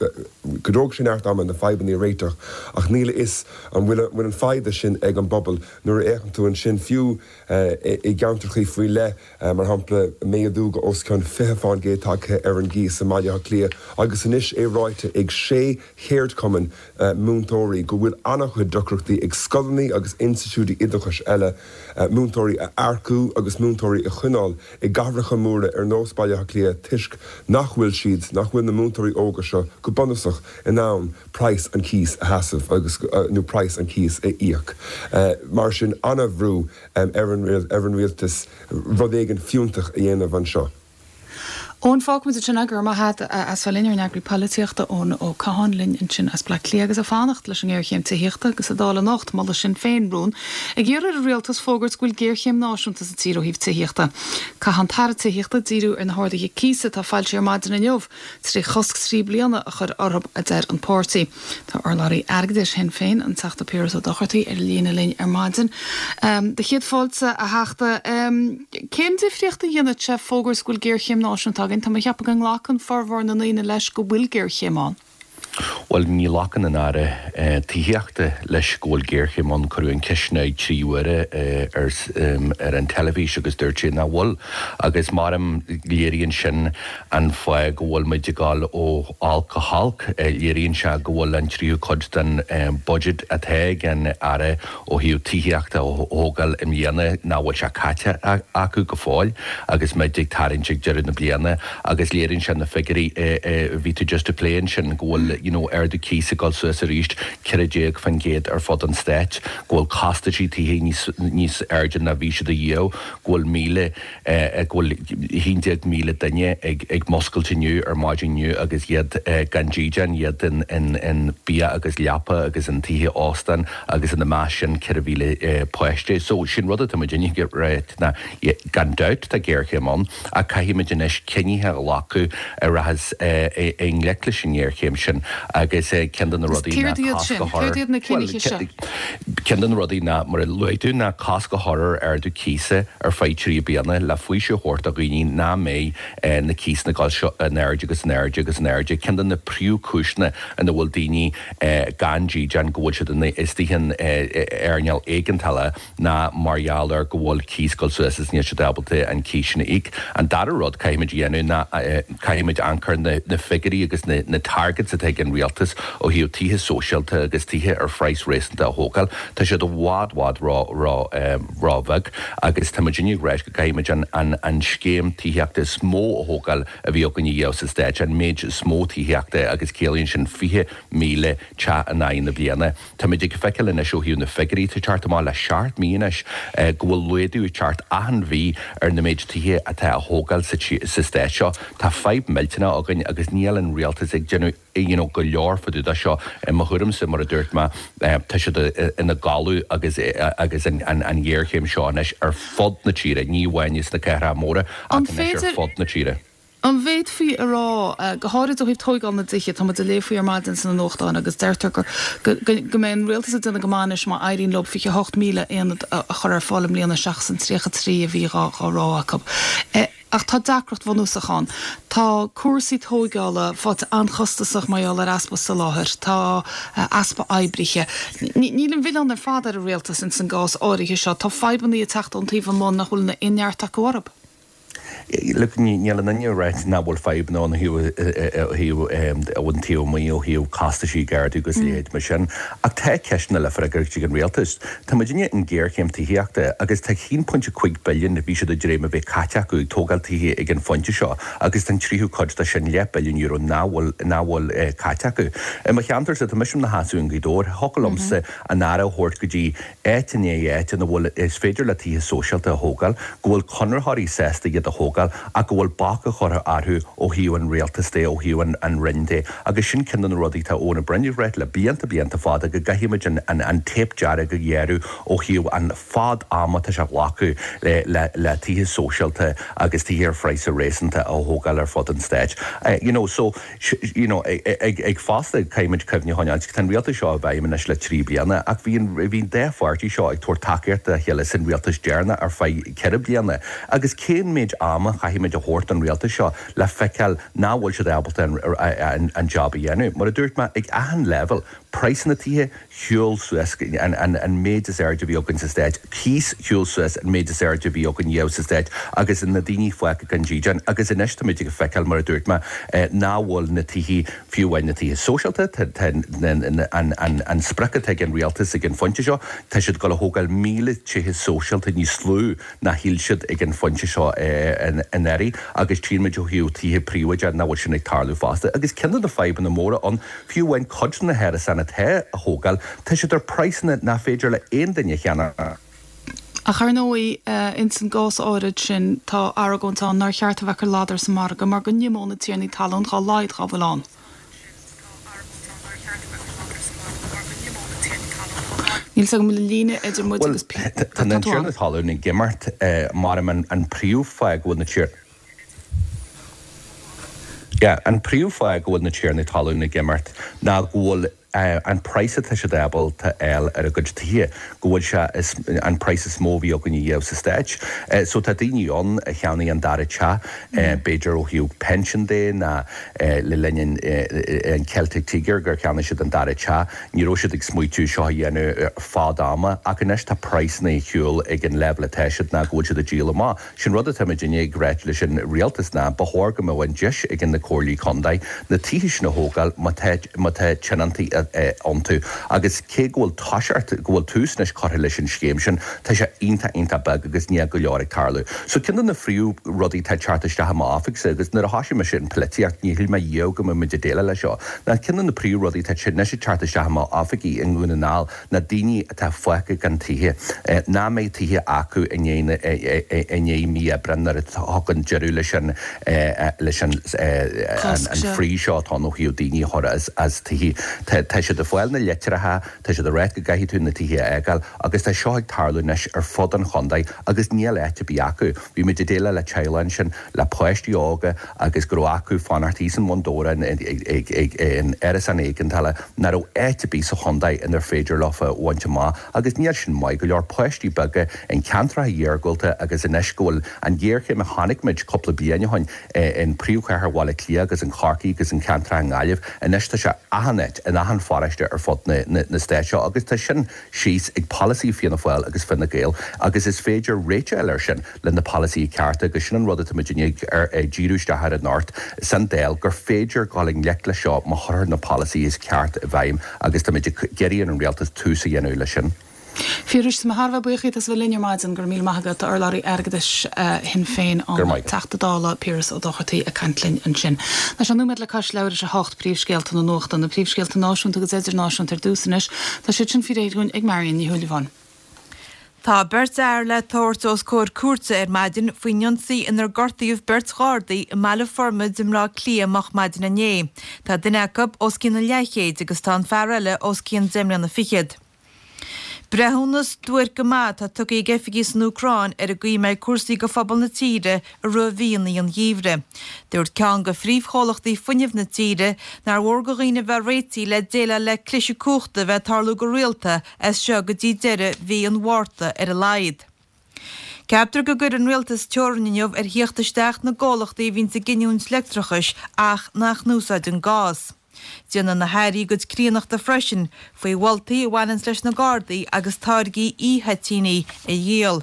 dtógfaidh sé neart ama na fadhbanna a réiteach ach níl a fhios an bhfuil an foighde sin ag an bpobal nuair a fhéachann tú ansin fiú i gceantrachaí faoi leith, mar shampla, méadú go os cionn fiche fán gcéad tagtha ar an gcíos i mBaile Átha Cliath agus anois é ráite ag sé cheardchumann múinteoirí go bhfuil an-chuid deacrachtaí ag scoileanna agus institiúidí oideachais eile múinteoirí a earcú agus múinteoirí a choinneáil i gcathracha móra ar nós Baile Átha Cliath toisc nach bhfuil siad, nach bhfuil na múinteoirí óga seo go bunúsach in ann praghas an chíos a sheasamh agus, nó praghas an chíos a íoc. Mar sin, an-bhrú ar an ar an rialtas rud éigin fiúntach a dhéanamh anseo. Eoin fágfaimid ansin é go raibh maith agat as bheith linn ár n-eagraí polaitíochta Eoin Ó Catháin linn ansin as Bleá Cliath agus ag fanacht leis an ngéarchéim tithíochta agus sa Dáil anocht molfaidh Sinn Féin rún ag iarraidh ar an rialtas fógairt go bhfuil géarchéim náisiúnta sa tír ó thaobh tithíochta. Caithfidh an tAire Tithíochta díriú ar na harduithe cíosa atá foilsithe ar maidin inniu trí chosc trí bliana a chur orthu a deir an páirtí. Tá urlabhraí airgeadais Shinn Féin an Teachta Piaras Ó Dochartaigh ar líne linn ar maidin. Um, do chéad fáilte a Theachta um, cén difríocht a dhéanfadh sé fógairt go bhfuil géarchéim náisiúnta againn, Tá mé ag ceapadh go nglacann formhór na ndaoine leis go bhfuil géarchéim ann. Bhuel ní ghlacann an Aire eh, tithíochta leis go bhfuil géarchéim ann cuireadh an cheist air trí huaire eh, ar, ar an teilifís agus dúirt sé nach bhfuil agus mar léiríonn sin an fáth go bhfuil muid ag dul ó olc go holc eh, léiríonn sé go bhfuil an tríú cuid den budget atá ag an Aire ó thaobh tithíochta a thógáil i mbliana nach bhfuil sé caite acu go fóill agus muid ag tarraingt ag deireadh na bliana agus léiríonn sé na figiúirí bhí tú just ag plé ansin go bhfuil you know, ardú cíosa ag dul suas arís ceithre déag faoin gcéad ar fud an stáit, go bhfuil costaisí tithe níos níos airde ná bhí siad riamh, go bhfuil míle eh, go bhfuil haon déag míle duine ag ag muscailt inniu ar maidin inniu agus iad eh, gan dídean iad in, in, in bia agus leapa agus in tithe óstáin agus ina measc sin ceithre mhíle eh, páiste. So sin rud atá muid ná gan dabht tá géarchéim ann ach caithfimid anois cinntí a ghlacadh a rachas i ngleic leis an ngéarchéim sin agus ceann de na rudaí na ceann de na rudaí ná mar a luaigh tú ná cosc a chur ar ardú cíosa ar feadh trí bliana le faoiseamh a thabhairt do dhaoine nach mbeidh na cíosanna ag dul seo in airde agus in airde agus in airde. Ceann de na príomhchúiseanna ina bhfuil daoine gan dídean go bhfuil siad istigh in earnáil éigeandála ná mar gheall ar go bhfuil cíos ag dul suas is níl siad ábalta an cíos sin a íoc. An dara rud caithfimid a dhéanamh ná caithfimid amharc ar na, na figiúirí agus na, na targets atá ag an rialtas ó thaobh tithe sóisialta agus tithe ar phraghas réasúnta a thógáil. Tá siad i bhfad bhfad ró ró um, róbheag agus tá muid ag rá go gcaithfimid an, an, an scéim tithíochta is mó a thógáil a bhí againn riamh sa stát an méid is mó tithíochta agus ciallaíonn sin fiche míle teach in aghaidh na bliana. Tá muid ag feiceáil anois ó thaobh na figiúirí ag teacht amach le seacht mí anois go bhfuil laghdú ag teacht achan mhí ar na méid tithe atá á thógáil sa, sa stát seo. Tá fadhb millteanach againn agus níl an rialtas ag déanamh you know, go leor fá dtaobh de seo i mo thuairimse mar a dúirt mé tá siad ina gcodladh agus agus an, an, an ghéarchéim seo anois ar fud na tíre, ní amháin sna cathracha móra ach anois ar fud na tíre. An bhféadfaí a rá go háirid ó thaobh tógáil na dtithe tá muid ag léamh faoi ar maidin sna nuachtáin agus deirtear gur go mbeidh an rialtas ag déanamh go maith anois má éiríonn leo fiche hocht míle aonad a chur ar fáil i mbliana seachas an tríocha trí a bhí dhá rá acu. Ach tá deacracht bhunúsach ann. Tá cúrsaí tógála faighte an-chostasach mar gheall ar easpa soláthair, tá easpa oibrithe. Níl an milleán ar fad ar an rialtas ins an gcás áirithe seo. Tá fadhbanna ag teacht ón taobh amuigh nach bhfuil aon neart acu orthu. Look, níl aon duine ag rá nach bhfuil fadhbanna ann ó thaobh an taobh amuigh ó thaobh costaisí ag ardú agus leithéid mar sin. Ach tá ceisteanna le freagairt ag an rialtas. Tá muidinne in géarchéim tithíochta agus tá haon pointe cúig billiún a bhí siad ag dréim a bheith caite acu ag tógáil tithe ag an phointe seo agus tá an tríú cuid de sin leath billiún euro nach bhfuil nach bhfuil caite acu. I mo cheantarsa tá mise i mo sheasamh i nGaoth Dobhair, thiocfadh liomsa an Aire a thabhairt go dtí áit i ndiaidh áit ina bhfuil is féidir le tithe sóisialta a thógáil, go bhfuil conraitheoirí sásta iad a thógáil ach go bhfuil bac á chur orthu ó thaobh an rialtas de, ó thaobh an, an Roinn de. Agus sin ceann de na rudaí atá Eoin Ó Broin ag rá le blianta blianta fada go gcaithfimid an, an, an téip dearg a ghearradh ó thaobh an fad ama atá sé a ghlacadh le, le, le tithe sóisialta agus tithe ar phraghas réasúnta a thógáil ar fud an stáit. Uh, you know, so, you know, ag, ag fosta caithfimid cuimhne a choinneáil, tá an rialtas seo i bhfeidhm anois le trí bliana ach bhí an, bhí an dá pháirtí seo ag tabhairt tacaíocht dá chéile san rialtas deireanach ar feadh ceithre bliana. Agus cén méid ama chaithfimid a thabhairt don rialtas seo le feiceáil nach bhfuil siad ábalta an, an, an job a dhéanamh. Mar a dúirt mé ag achan level, praghsanna tithe shiúil suas an, an, an méid is airde a bhí againn sa stát, cíos shiúil suas an méid is airde a bhí againn riamh sa stát agus na daoine fágtha gan dídean agus anois táimid ag feiceáil mar a dúirt mé nach bhfuil na tithe fiú amháin na tithe sóisialta an, an, an sprioc atá ag an rialtas ag an phointe seo, tá siad ag dul a thógáil míle tithe sóisialta níos lú ná shíl siad ag an phointe seo anuraidh agus tchímid ó thaobh tithe príobháideacha nach bhfuil sin ag tarlú fosta. Agus ceann de na fadhbanna móra ann fiú amháin cuid de na hárasáin atá á thógáil, tá siad ar praghsanna nach féidir le aon duine a cheannach. Ach ar ndóigh, ins an gcás áirid sin, tá argóint ann nár cheart a bheith ag cur ladar sa margadh mar go n-imeodh na tiarnaí talún dhá laghad dhá bhfuil ann. Níl 's agam an bhfuil an líne idir muid Bhuel, agus tá tá na tú ann. tiarnaí talún ag imeacht, mar an príomhfháth go bhfuil na tiar. Yeah, an príomhfháth go bhfuil na tiarnaí talún ag imeacht ná go bhfuil an praghas atá siad ábalta a fháil ar a gcuid tithe, go bhfuil sé is an praghas is mó a bhí againn ariamh sa Stáit. So tá daoine ann a cheannaigh an dara teach, b'fhéidir ó thaobh pension de ná le linn an Celtic Tiger gur cheannaigh siad an dara teach, ní raibh siad ag smaoitiú seo a dhéanamh fad ama ach anois tá praghsanna ar shiúl ag an leibhéal atá siad ná go bhfuil siad ag díol amach. Sin rud atá muidinne ag ráit leis an rialtas ná ba chóir go mbeadh an deis ag na comhairlí contae na tithe sin a thógáil má tá má tá tionóntaí iontu agus cé go bhfuil toiseacht, go bhfuil tús anois curtha leis an scéim sin, tá sé iontach iontach beag agus níl go leor ag tarlú. So ceann de na phríomh rudaí atá ag teacht isteach i m'oifigse agus nuair a thoisigh mise an polaitíocht ní shíl mé riamh go mbeadh muid ag déileáil leis seo, ná ceann de na príomh rudaí atá anois ag teacht isteach i m'oifigí i nDún na nGall ná daoine atá fágtha gan tithe, nach mbeidh tithe acu i ndiaidh i ndiaidh mí Aibreán nuair a thagann deireadh leis an leis an an freeze seo atá ann ó thaobh daoine a chur as as tithe. Tá tá siad ag fáil na litreacha, tá siad ag ráit go gcaithfidh tú na tithe a fhágáil agus tá seo ag tarlú anois ar fud an chontae agus níl áit ar bith acu. Bhí muid ag déileáil le teaghlach ansin le páistí óga agus go raibh acu fanacht thíos in Bundoran in árasán éigeandála nach raibh áit ar bith sa chontae inar féidir leofa a bhaint amach agus níl sin maith go leor páistí beaga in ceantracha iargúlta agus anois go bhfuil an ghéarchéim a chonaic muid cúpla bliain ó shin in príomhchathair Bhaile Átha Cliath agus in Corcaigh agus in ceantracha i nGaillimh anois tá sé achan áit in achan pharóiste ar fud na stáit seo agus tá sin síos ag polasaí Fianna Fáil agus Fine Gael agus is féidir réiteach a fháil air sin le na polasaithe cearta agus sin an rud atá muid ag díriú isteach air anocht san Dáil gur féidir dul i ngleic leis seo má chuirtear na polasaithe is ceart i bhfeidhm agus tá muid ag iarraidh ar an rialtas tús a dhéanamh leis sin. Phiarais, tá mé thar a bheith buíoch díot as a bheith linn ar maidin. Go raibh míle maith agat. Urlabhraí Airgeadais Shinn Féin, Go raibh an maith agat. Teachta Dála Piaras Ó Dochartaigh ag caint linn ansin. Tá sé nóiméad le cois leathuair tar éis a hocht, príomhscéalta na nuachta, na príomhscéalta náisiúnta agus idirnáisiúnta ar dtús anois. Tá siad sin faoi réir dúinn ag Marion Ní Shúilleabháin. Tá beirt fhear le tabhairt os comhair cúirte ar maidin faoin ionsaí inar gortaíodh beirt Ghardaí i mBaile Formaid i mBleá Cliath moch maidin inné. Tá duine acu os cionn an leathchéid agus tá an fear eile os cionn deich mbliana fichead. Breithiúnas duairc go maith atá tugtha ag oifigigh san Úcráin ar an gcaoi a mbeidh cúrsaí go phobal na tíre i rith mhíonna an gheimhridh. Dúirt ceann de phríomhchomhlachtaí fuinnimh na tíre nár mhór go dhaoine bheith réitithe le déileáil le cliseadh cumhachta a bheith ag tarlú go rialta as seo go dtí deireadh mhí an Mhárta ar a laghad. Ceaptar go gcuirfidh an rialtas teorainn inniu ar thíocht isteach na gcomhlachtaí a bhíonns ag giniúint leictreachais ach nach n-úsáideann gás. Déanfaidh na hairí a gcuid críonnachta freisin faoi mholtaí a bhaineanns leis na Gardaí agus táirgí e-thoitíní a dhíol.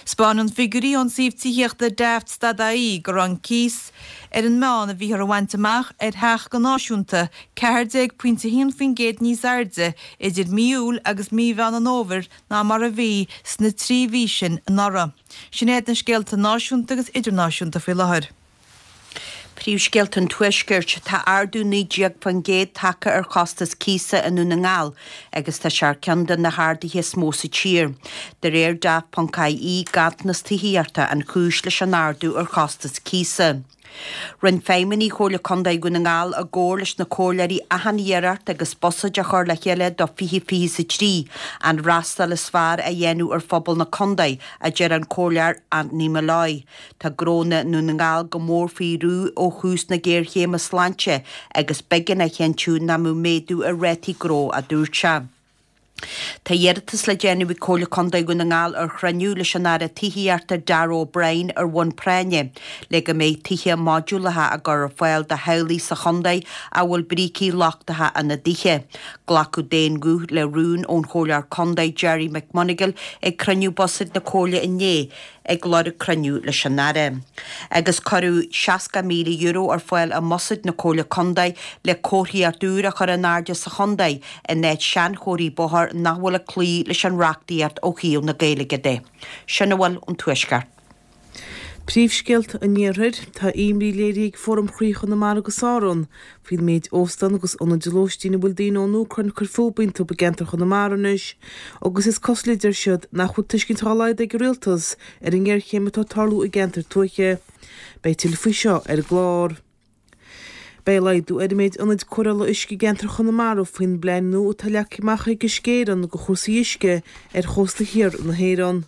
'Spáineann figiúirí ón suíomh tithíochta Daft stad ie go raibh an cíos ar an meán a bhíothar a bhaint amach ar theach go náisiúnta ceathair déag pointe a haon faoin gcéad níos airde idir mí Iúil agus mí Mheán an Fhómhair ná mar a bhí sna trí mhí sin anuraidh. Sin iad na scéalta náisiúnta agus idirnáisiúnta faoi láthair. Príomhscéalta an Tuaiscirt, Tá ardú naoi déag faoin gcéad tagtha ar chostas cíosa i nDún na nGall agus tá sé ar cheann de na harduithe is mó sa tír. De réir Daft ponc IE, ganntanas tithíochta an chúis leis an ardú ar chostas cíosa. Rinne feidhmeannaigh Chomhairle Contae Dhún na nGall i gcomhar leis na comhairleoirí achan iarracht agus buiséad a chur le chéile do fiche fiche is a trí, an fhreastal is fearr a dhéanamh ar phobal na contae, a deir an Comhairleoir Anthony Molloy. Tá gnónna i nDún na nGall go mór faoi bhrú ó thús na géarchéime sláinte agus b'éigean a chinntiú nach mbeadh méadú ar rátaí gnó, a dúirt sé. Tá iarratas le déanamh ag Comhairle Contae Dhún na nGall ar chruinniú leis an Aire Tithíochta Darragh O'Brien ar bhonn práinne le go mbeidh tithe modúlacha á gcur ar fáil do theaghlaigh sa chontae a bhfuil brící lochtacha ina dtithe. Glacadh d'aon ghuth le rún ón Chomhairleoir Contae Gerry McMonagle ag cruinniú buiséid na Comhairle inné ag lorg cruinniú leis an Aire. Agus cuireadh seasca míle euro ar fáil i mbuiséad na Comhairle Contae le comharthaíocht úr a chur in airde sa chontae in áit seanchomharthaí bóthair nach bhfuil ag cloí leis an reachtaíocht ó thaobh na Gaeilge de. Sin a bhfuil ón Tuaisceart. Príomhscéalta an Iarthair, Tá imní léirithe ag Fóram Chroí Chonamara agus Árann faoin méid óstán agus ionaid lóistín a bhfuil daoine ón Úcráin ag cur fúthu iontu i gceantar Chonamara anois agus is cosúil, a deir siad, nach bhfuil tuiscint dá laghad ag an rialtas ar an ngéarchéim atá ag tarlú i gceantair tuaithe. Beidh tuilleadh faoi seo ar an gclár. Beidh laghdú ar an méid ionaid cóireála uisce i gceantar Chonamara faoin bplean nua atá leagtha amach ag Uisce Éireann do chúrsaí uisce ar chósta thiar na hÉireann.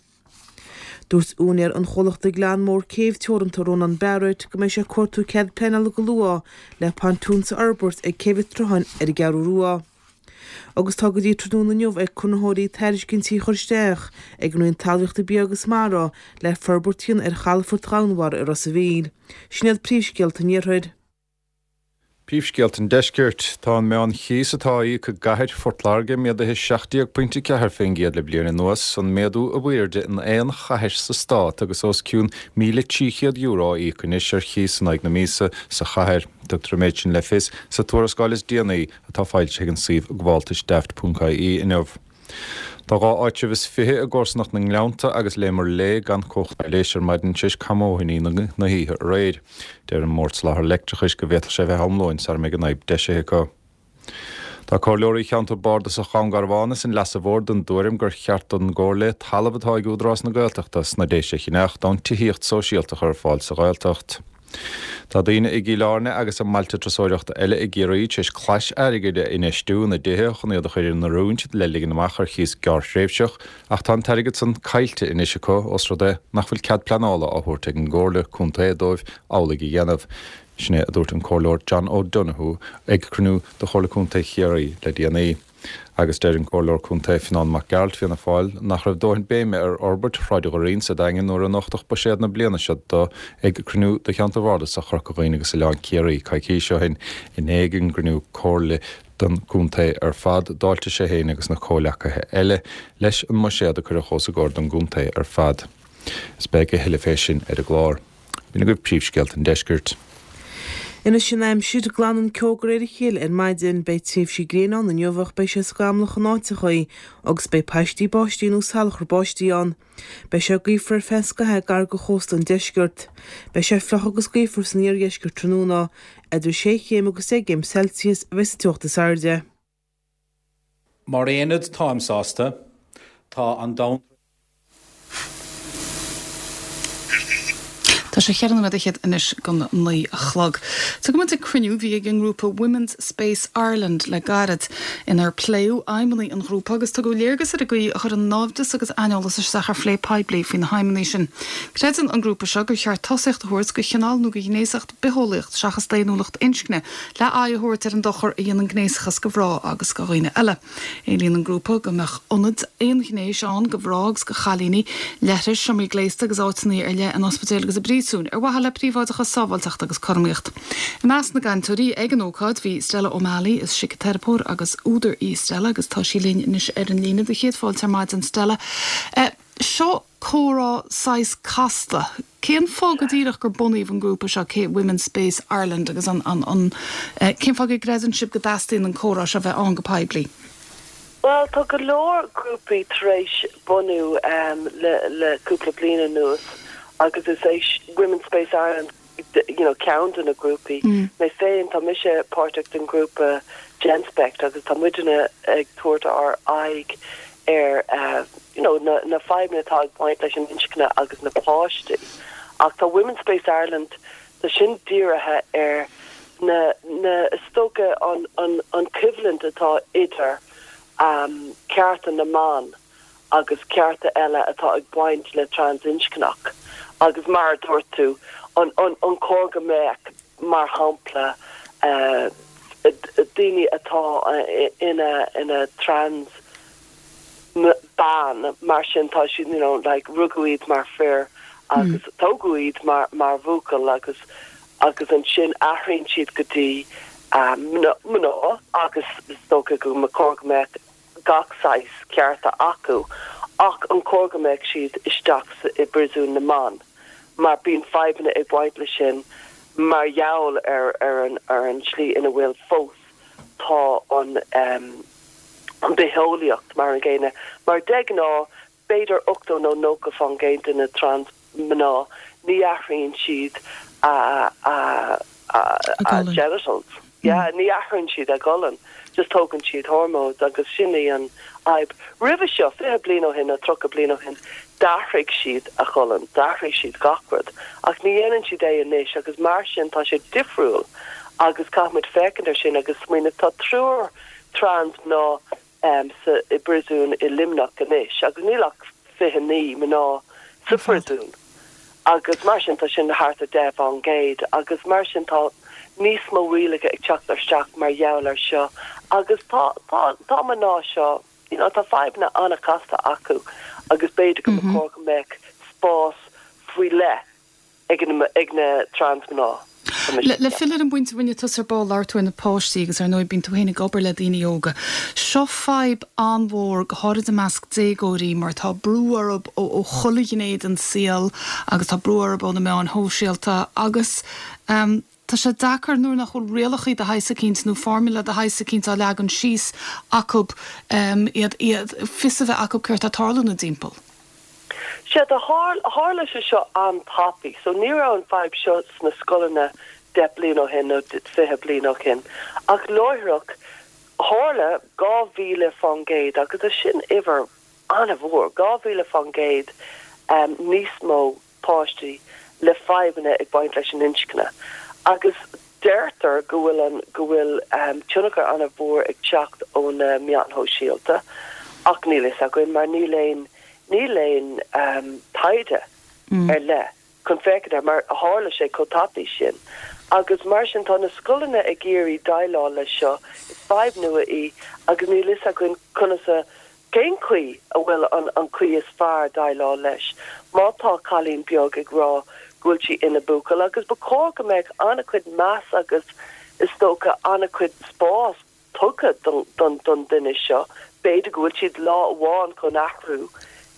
Dúirt úinéir an chomhlachta Gleann Mór Céibh Teoranta Rónán Barrett go mbeidh sé ag cuartú cead pleanála go luath le pontúns a fhorbairt ag Céibh an tSrutháin ar an gCeathrú Rua. Agus tá go dtí tráthnóna inniu ag conraitheoirí tairiscintí a chur isteach ag an Roinn Talmhaíochta Bia agus Mara le forbairt a dhéanamh ar chalafort Dhomhanmhara i Ros a' Mhíl. Sin iad príomhscéalta an Iarthair. Príomhscéalta an Deiscirt, Tá an meánchíos atá á íoc i gcathair Phort Láirge méadaithe seacht déag pointe ceathair faoin gcéad le bliain anuas, an méadú ab airde in aon chathair sa stát agus os cionn míle trí chéad euro á íoc anois ar chíos in aghaidh na míosa sa chathair. Tugtar an méid sin le fios sa tuarascáil is déanaí atá foilsithe ag an suíomh gabháltais daft.ie inniu. Tá dhá áitreabh is fiche i gcomharsanacht na nGleannta agus Léim Léith gan cumhacht leighis ar maidin tar éis camóthoinní na hoíche aréir. Deir an mBord Soláthair Leictreachais go bhféadfadh sé bheith am lóin sara mbeidh an fhadhb deisithe acu. Tá comhairleoirí cheantar bardasach Dhún Garbhán is an Leasa Mhóir den dtuairim gur cheart don gComhairle talamh atá ag Údarás na Gaeltachta sna Déise a cheannach d'fhonn tithíocht sóisialta a chur ar fáil sa Ghaeltacht. Tá daoine i gCill Airne agus i mbailte turasóireachta eile i gCiarraí tar éis clais airgid a infheistiú ina dtithe chun iad a chur in oiriúint le ligean amach ar chíos gearrthréimhseach ach tá an t-airgead san caillte anois acu os rud é nach bhfuil cead pleanála á thabhairt ag an gComhairle Contae dóibh amhlaidh a dhéanamh. Sin é a dúirt an Comhairleoir John O'Donoghue ag cruinniú de Chomhairle Contae Chiarraí le déanaí. Agus deir an Comhairleoir Contae Fionán Mac Gearailt, Fianna Fáil, nach raibh dóthain béime ar fhorbairt Shráid Dhoirín sa Daingean nuair a nochtadh buiséad na bliana seo dó ag cruinniú de cheantar bhardasach Chorca Dhuibhne agus Oileán Ciarraí coicís ó shin. I ndiaidh an gcruinniú comhairle don gcontae ar fad, d'fháiltigh sé féin agus na comhleacaithe eile leis an mbuiséad a cuireadh os a gcomhair don gcontae ar fad. Is beidh a thuilleadh fé sin ar an gclár. B'in agaibh príomhscéalta an deiscirt. Anois an aimsir, glanann ceo de réir a chéile ar maidin. Beidh tréimhsí gréine ann inniu ach beidh sé scamallach in áiteachaí agus beidh paistí báistí nó salachar báistí ann. Beidh sé gaofar ar feadh scaithimh gar do chósta an deiscirt. Beidh sé fliuch agus gaofar san iardheisceart tráthnóna. Idir sé chéim agus deich gcéim Celsius a bheidh sa teocht is airde. Mar aonad táim sásta. Tá an domhan. Tá sé cheithre nóiméad fhichead anois don naoi a chlog. Tugann muid ag cruinniú a bhí ag an ngrúpa Women's Space Ireland le gairid, inar pléadh aidhmeanna an ghrúpa agus tugadh léargas ar an gcaoi a chuireann naimhdeas agus aineolas isteach ar phlé poiblí faoi na haidhmeanna sin. Creideann an grúpa seo gur cheart tosaíocht a thabhairt do chineál nó do ghnéasacht bitheolaíocht seachas daonnúlacht inscne le aghaidh a thabhairt ar an dochar a dhéanann gnéasachas do mhná agus do dhaoine eile. Éilíonn an grúpa go mbeadh ionaid aonghnéis ann do mhná agus do chailíní, leithris, seomraí gléasta agus áiteanna ar leith in ospidéil agus i bpríosúin ar mhaithe le príobháideachas, sábháilteacht agus cothromaíocht. I measc na gcainteoirí ag an ócáid bhí Stella O'Malley, is síciteiripeoir agus údar í Stella agus tá sí linn anois ar an líne. Do chéad fáilte ar maidin Stella. Seo comhrá saghas casta. Cén fáth go díreach gur bunaíodh an grúpa seo, cé Women's Space Ireland agus an, an, an, cén fáth go gcreideann sibh go dteastaíonn an comhrá seo bheith ann go poiblí? Bhuel, tá go leor grúpaí tar éis bunú le, le cúpla bliain anuas agus is é Women's Space Ireland you know, ceann de na grúpaí. Mé féin, tá mise páirteach den ghrúpa Genspect agus tá muidne ag tabhairt ár aghaidh ar you know, na, na fadhbanna atá ag baint leis an inscne agus na páistí. Ach tá Women's Space Ireland, tá sin dírithe ar na, na, is dócha an, an, an coimhlint atá idir um, cearta na mban agus cearta eile atá ag baint le trans-inscneach. Agus mar a dúirt tú, an, an, an cóir go mbeadh, mar shampla, uh, daoine atá ina, ina trans bean, mar sin tá siad, you know, like, rugadh iad mar fir agus mm. tógadh iad mar, mar bhuachaill agus agus ansin athraíonn siad go dtí um, mná agus is dócha go mba chóir go mbeadh gach saghas cearta acu ach an cóir go mbeadh siad isteach i bpríosún na mban mar bíonn fadhbanna ag baint leis sin mar gheall ar ar an ar an slí ina bhfuil fós tá an um, an bitheolaíocht mar an gcéanna mar de ghnáth b'fhéidir ochtó nó nócha faoin gcéad de na trans mná, ní athraíonn siad a a a a genitals. Yeah, ní athraíonn siad a gcolainn, just tógann siad hormones agus sin í an fhadhb. Roimhe seo, fiche bliain ó shin nó tríocha bliain ó shin, d'athraigh siad a cholainn, d'athraigh siad gach rud, ach ní dhéanann siad é anois agus mar sin tá sé difriúil agus caithfimid féachaint ar sin agus smaoineamh. Tá triúr trans mná um, sa, i bpríosún i Luimneach anois agus níl ach fiche naoi mná sa phríosún. Agus mar sin tá sin thart ar deich faoin gcéad agus mar sin tá níos mó rialacha ag teacht isteach mar gheall ar seo agus tá tá tá mná seo you know, tá fadhbanna an-chasta acu agus b'fhéidir go mba chóir go mbeadh spás faoi leith ag na ag na trans mná. Le, le filleadh ar an bpointe a rinne tusa ar ball labhair tú ar na páistí agus ar ndóigh bíonn tú féin ag obair le daoine óga. Seo fadhb an-mhór go háirid i measc déagóirí mar tá brú orthu ó, ó chuile ghné den saol agus tá brú orthu ó na meáin shóisialta agus um, tá sé deacair nuair nach bhfuil rialacha de shaghas eicínt nó formula de shaghas eicínt á leagan síos acu um, iad iad fios a bheith acu céard atá ag tarlú ina dtimpeall. Sea, tá tharla sé seo an-tapaidh, so ní raibh an fadhb seo sna scoileanna deich bliain ó shin nó fiche bliain ó shin. Ach láithreach tharla dhá mhíle faoin gcéad agus tá sin uimhir an-mhór, dhá mhíle faoin gcéad um, níos mó páistí le fadhbanna ag baint leis an inscne. Agus deirtear go bhfuil an go bhfuil um, tionchar an-mhór ag teacht ó na meáin shóisialta ach níl fhios againn mar níl aon Níl aon taighde ar leith chun féachaint air mar tharla sé chomh tapaidh sin. Agus mar sin tá na scoileanna ag iarraidh déileáil leis seo, is fadhb nua í agus níl fhios againn conas a, cén chaoi a bhfuil an an chaoi is fearr déileáil leis. Má tá cailín beag ag rá go bhfuil sí ina buachaill agus ba chóir go mbeadh an-chuid meas agus is dócha an-chuid spás tugtha don don duine seo, b'fhéidir go bhfuil siad lá amháin chun athrú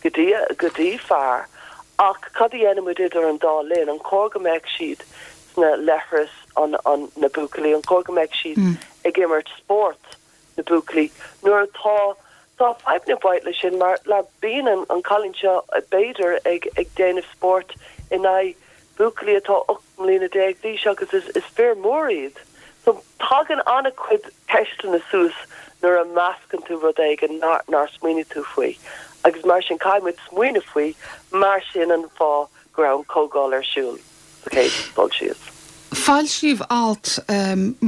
go dtí go dtí fear, ach cad a dhéanaimid idir an dá linn? An cóir go mbeadh siad sna leithris an an na buachaillí, an cóir go mbeadh siad ag imirt spórt na buachaillí nuair atá tá fadhbanna ag baint leis sin mar le bíonn an an cailín seo b'fhéidir ag ag déanamh spórt in aghaidh buachaillí atá ocht mbliana déag d'aois agus is is fir mór iad. So tagann an-chuid ceisteanna suas nuair a meascann tú rud éigin nár nár smaoinigh tú faoi agus mar sin caithfidh muid smaoineamh faoi mar sin an fáth go raibh an comhdháil ar siúl sa chéad dul síos. Foilsíodh alt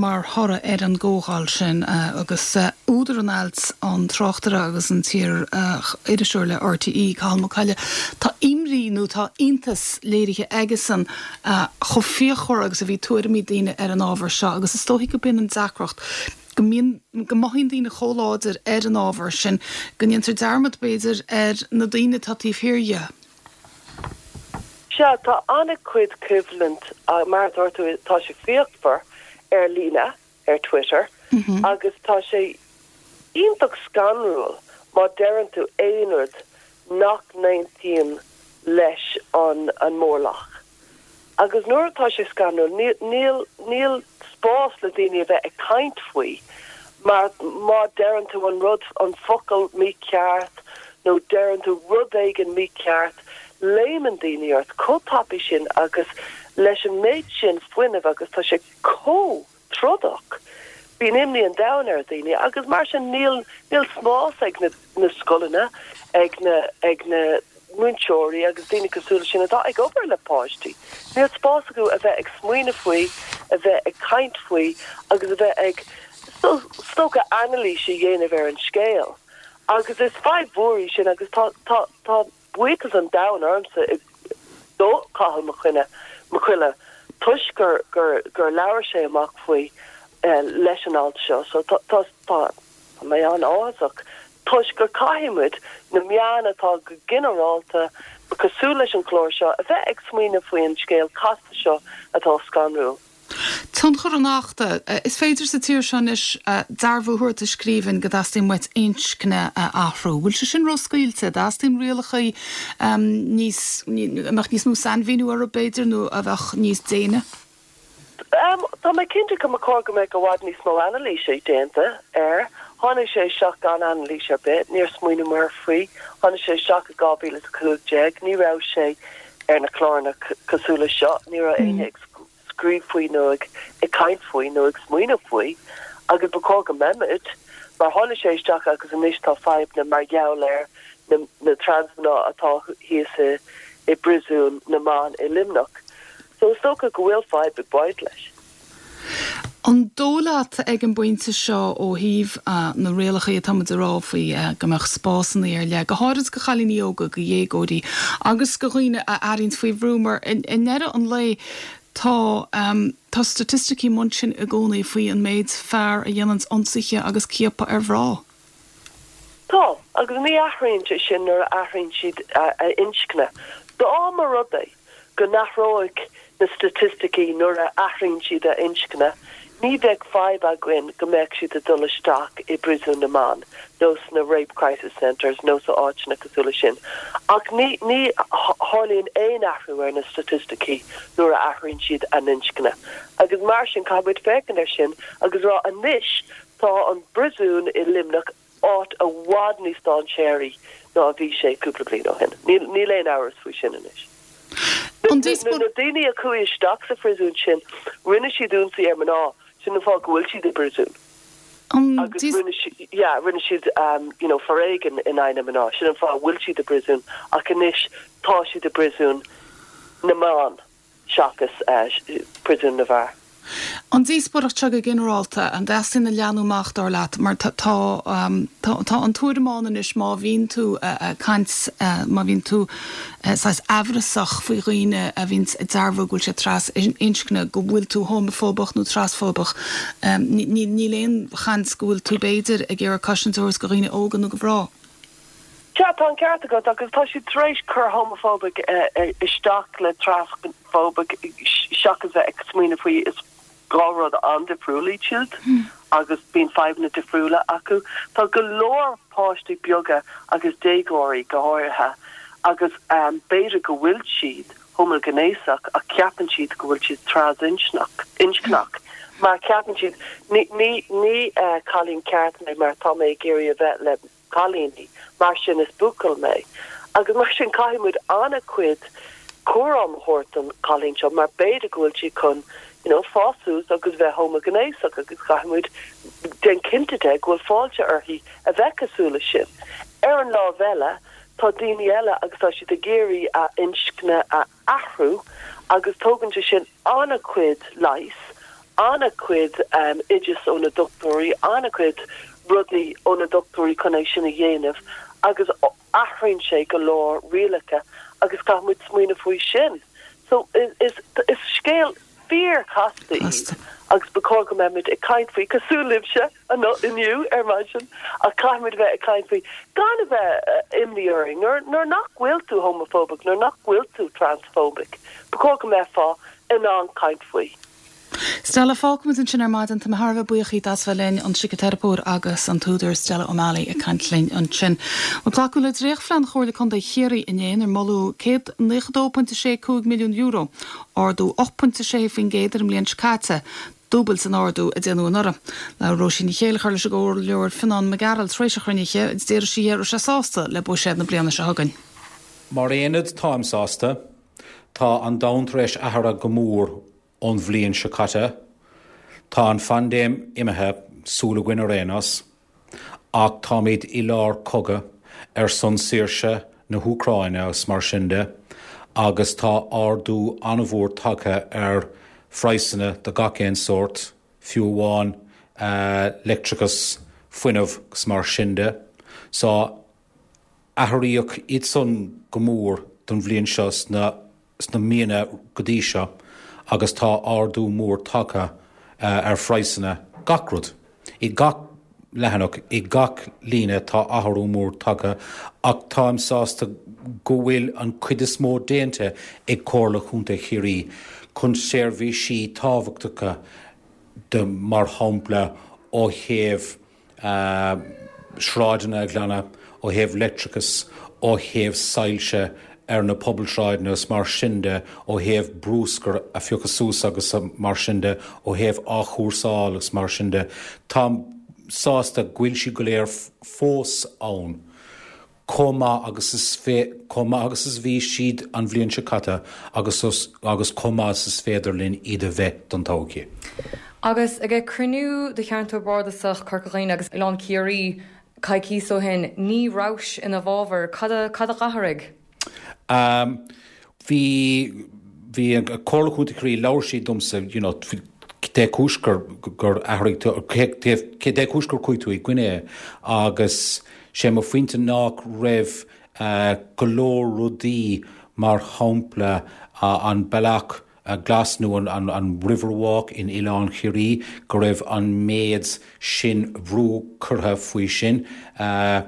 mar thoradh ar an gcomhdháil sin agus údar an ailt, an tráchtaire agus an t-iar-iriseoir le RTÉ, Cathal Mac Coille. Tá imní nó tá iontas léirithe aigesan chomh fíochmhar agus a bhí tuairimí daoine ar an ábhar seo agus is dóichí go b'in an deacracht, go mbíonn, go mothaíonn daoine chomh láidir ar an ábhar sin go ndéantar dearmad, b'fhéidir, ar na daoine atá taobh thiar dhe. Sea, tá an-chuid coimhlint, mar a dúirt tú, tá sé fíochmhar ar líne, ar Twitter, agus tá sé iontach scanrúil má deireann tú aon rud nach n-aontaíonn leis an an mórlach. Agus nuair atá sé scanrúil, níl, níl spás le daoine a bheith ag caint faoi mar má deireann tú an rud, an focal mícheart nó deireann tú rud éigin mícheart, léimeann daoine ort chomh tapaidh sin agus leis an méid sin fuinnimh agus tá sé chomh trodach. Bíonn imní an domhain ar dhaoine agus mar sin níl, níl spás ag na, na scoileanna, ag na, ag na múinteoirí agus daoine cosúil leis sin atá ag obair le páistí. Níl spás acu a bheith ag smaoineamh faoi, a bheith ag caint faoi agus a bheith ag, is dócha, anailís a dhéanamh ar an scéal. Agus is fadhb mhór í sin agus tá, tá, tá buíochas an domhain ormsa do Cathal Mac Coille, Mac Coille toisc gur, gur, gur labhair sé amach faoi leis an alt seo. So tá, tá, tá mé an-áthasach toisc gur caithfidh muid, na meáin atá go ginearálta cosúil leis an chlár seo, a bheith ag smaoineamh faoi an scéal casta seo atá scanrúil. Tionchar an Achta. Is féidir sa tír seo anois dearbhú a thabhairt i scríbhinn go dteastaíonn uait inscne a athrú. Bhfuil sé sin róscaoilte? Dteastaíonn rialacha níos, a mbeadh níos mó sainmhíniú orthu b'fhéidir nó a bheadh níos déine? Tá mé cinnte go mba chóir go mbeadh i bhfad níos mó anailíse déanta air. Tháinig sé isteach gan anailís ar bith, níor smaoiníomar faoi. Tháinig sé isteach i dhá mhíle is a cúig déag, ní raibh sé ar na cláranna cosúil le seo, ní raibh éinne ag scríobh faoi nó ag caint faoi nó ag smaoineamh faoi agus ba chóir go mbeimid mar tháinig sé isteach agus anois tá fadhbanna mar gheall ar na na trasmhná atá thíos i i bpríosún na mban i Luimneach. So is dócha go bhfuil fadhb ag baint leis. An dóigh leat ag an bpointe seo ó thaobh na rialacha atá muid a rá faoi go mbeadh spásanna ar leith, go háirid go chailíní óga, go dhéagóirí agus go dhaoine a airíonn faoi bhrú mar i ndeireadh an lae tá tá staitisticí ansin i gcónaí faoi an méid fear a dhéanann ionsaithe agus ciapadh ar mhná. Tá, agus ní athraíonn sé sin nuair a athraíonn siad a inscne. Dá mba rud é go n-athródh na staitisticí nuair a athraíonn siad a inscne, ní bheadh fadhb againn go mbeadh siad ag dul isteach i bpríosún na mban nó sna rape crisis centres nó sa áiteanna cosúil leis sin. Ach ní ní tharlaíonn aon athrú ar na staitisticí nuair a athraíonn siad a n-inscne. Agus mar sin caithfidh muid féachaint air sin agus rá anois tá an príosún i Luimneach áit i bhfad níos dainséaraí ná a bhí sé cúpla bliain ó shin. Níl níl aon amhras faoi sin anois. Na daoine a chuaigh isteach sa phríosún sin, rinne siad ionsaí ar mná, sin an fáth go bhfuil siad i bpríosún. Agus rinne siad, yeah, rinne siad um, you know, foréigean in aghaidh na mná, sin an fáth a bhfuil siad i bpríosún, ach anois tá siad i bpríosún na mban seachas uh, príosún na bhfear. An díospóireacht seo go ginearálta, an dteastaíonn a leathnú amach dar leat, mar tá tá an tuairim ann anois má bhíonn tú ag caint, má bhíonn tú saghas amhrasach faoi dhaoine a bhíonn ag dearbhú go bhfuil siad trasinscne, go bhfuil tú homafóbach nó trasfóbach. Níl aon chaint go bhfuil tú b'fhéidir ag iarraidh cosaint a thabhairt do dhaoine óga nó do mhná. Sea, tá an ceart agat agus tá siad tar éis cur homophobic isteach le transphobic seachas bheith ag smaoineamh faoi is dhá rud an-difriúil iad siúd agus bíonn fadhbanna difriúla acu. Tá go leor páistí beaga agus déagóirí go háirithe agus b'fhéidir go bhfuil siad homaighnéasach ach ceapann siad go bhfuil siad trasinscneach inscneach mar ceapann siad ní ní ní cailín ceart mé mar tá mé ag iarraidh a bheith le cailíní, mar sin is buachaill mé. Agus mar sin caithfidh muid an-chuid cúram a thabhairt don chailín seo mar b'fhéidir go bhfuil sí chun you know fás suas agus bheith homaighnéasach agus caithfidh muid déanamh cinnte de go bhfuil fáilte uirthi a bheith cosúil leis sin. Ar an lámh eile, tá daoine eile agus tá siad ag iarraidh a inscne a athrú agus tógann sé sin an-chuid leighis, an-chuid oideas ó na dochtúirí, an-chuid rudaí ó na dochtúirí chun é sin a dhéanamh agus athraíonn sé go leor rialacha agus caithfidh muid smaoineamh faoi sin. So is is scéal fíorchasta í agus ba chóir go mbeimid ag caint faoi cosúil libhse inniu ar maidin ach caithfidh muid a bheith ag caint faoi gan a bheith imní orainn nuair nuair nach bhfuil tú homophobic nuair nach bhfuil tú transphobic ba chóir go mbeifeá in ann caint faoi. Stella, fágfaimid ansin ar maidin. Tá mé thar a bheith buíoch díot as bheith linn, an síciteiripeoir agus an t-údar Stella O'Malley ag caint linn ansin. Bhuel, glacadh le dréachtphlean Chomhairle Contae Chiarraí inné inar moladh céad naocha dó pointe sé cúig milliún euro, ardú ocht pointe sé faoin gcéad ar an mbliain seo caite, dúbailt an ardú a déanadh anuraidh. Labhair Róisín Ní Chéilleachair leis an gComhairleoir Fionán Mac Gearailt tar éis an chruinnithe agus deir sí go raibh sé sásta le buiséad na bliana seo chugainn. Mar aonad táim sásta. Tá an domhan tar éis athrú go mór ón bhliain seo caite. Tá an phaindéim imithe, súil againn ar aon nós, ach táimid i lár cogadh ar son saoirse na hÚcráine agus mar sin de, agus tá ardú an-mhór tagtha ar phraghsanna de gach aon sórt, fiú amháin leictreachas, fuinneamh agus mar sin de. So, athraíodh iad san go mór don bhliain seo sna sna míonna go dtí seo agus tá ardú mór tagtha ar phraghsanna gach rud. I gach leathanach, i gach líne tá athrú mór tagtha ach táim sásta go bhfuil an cuid is mó déanta ag Comhairle Chontae Chiarraí chun seirbhísí tábhachtacha de mar shampla ó thaobh sráideanna a ghlanadh, ó thaobh leictreachas, ó thaobh soilse ar na pobalsráideanna agus mar sin de, ó thaobh bruscar a phiocadh suas agus mar sin de, ó thaobh athchúrsáil agus mar sin de. Táim sásta go bhfuil siad go léir fós ann. chomh maith agus is chomh maith agus is bhí siad an bhliain seo caite agus agus chomh maith is is féidir linn iad a bheith don todhchaí. Agus ag cruinniú de cheantar bardasach Corca Dhuibhne agus Oileán Ciarraí coicís ó shin ní rabhais ina bhfabhar cad a cad a d'athraigh? Um, bhí bhí Comhairle Contae Chiarraí labhair siad domsa you know, cé cúis gur gur athraigh cé cúis gur chuaigh tú i gcoinne agus sé mo phointe nach raibh uh, go leor rudaí mar shampla uh, an bealach uh, glas nó an, an, an Riverwalk in Oileán Chiarraí go raibh an méid sin brú curtha faoi sin uh,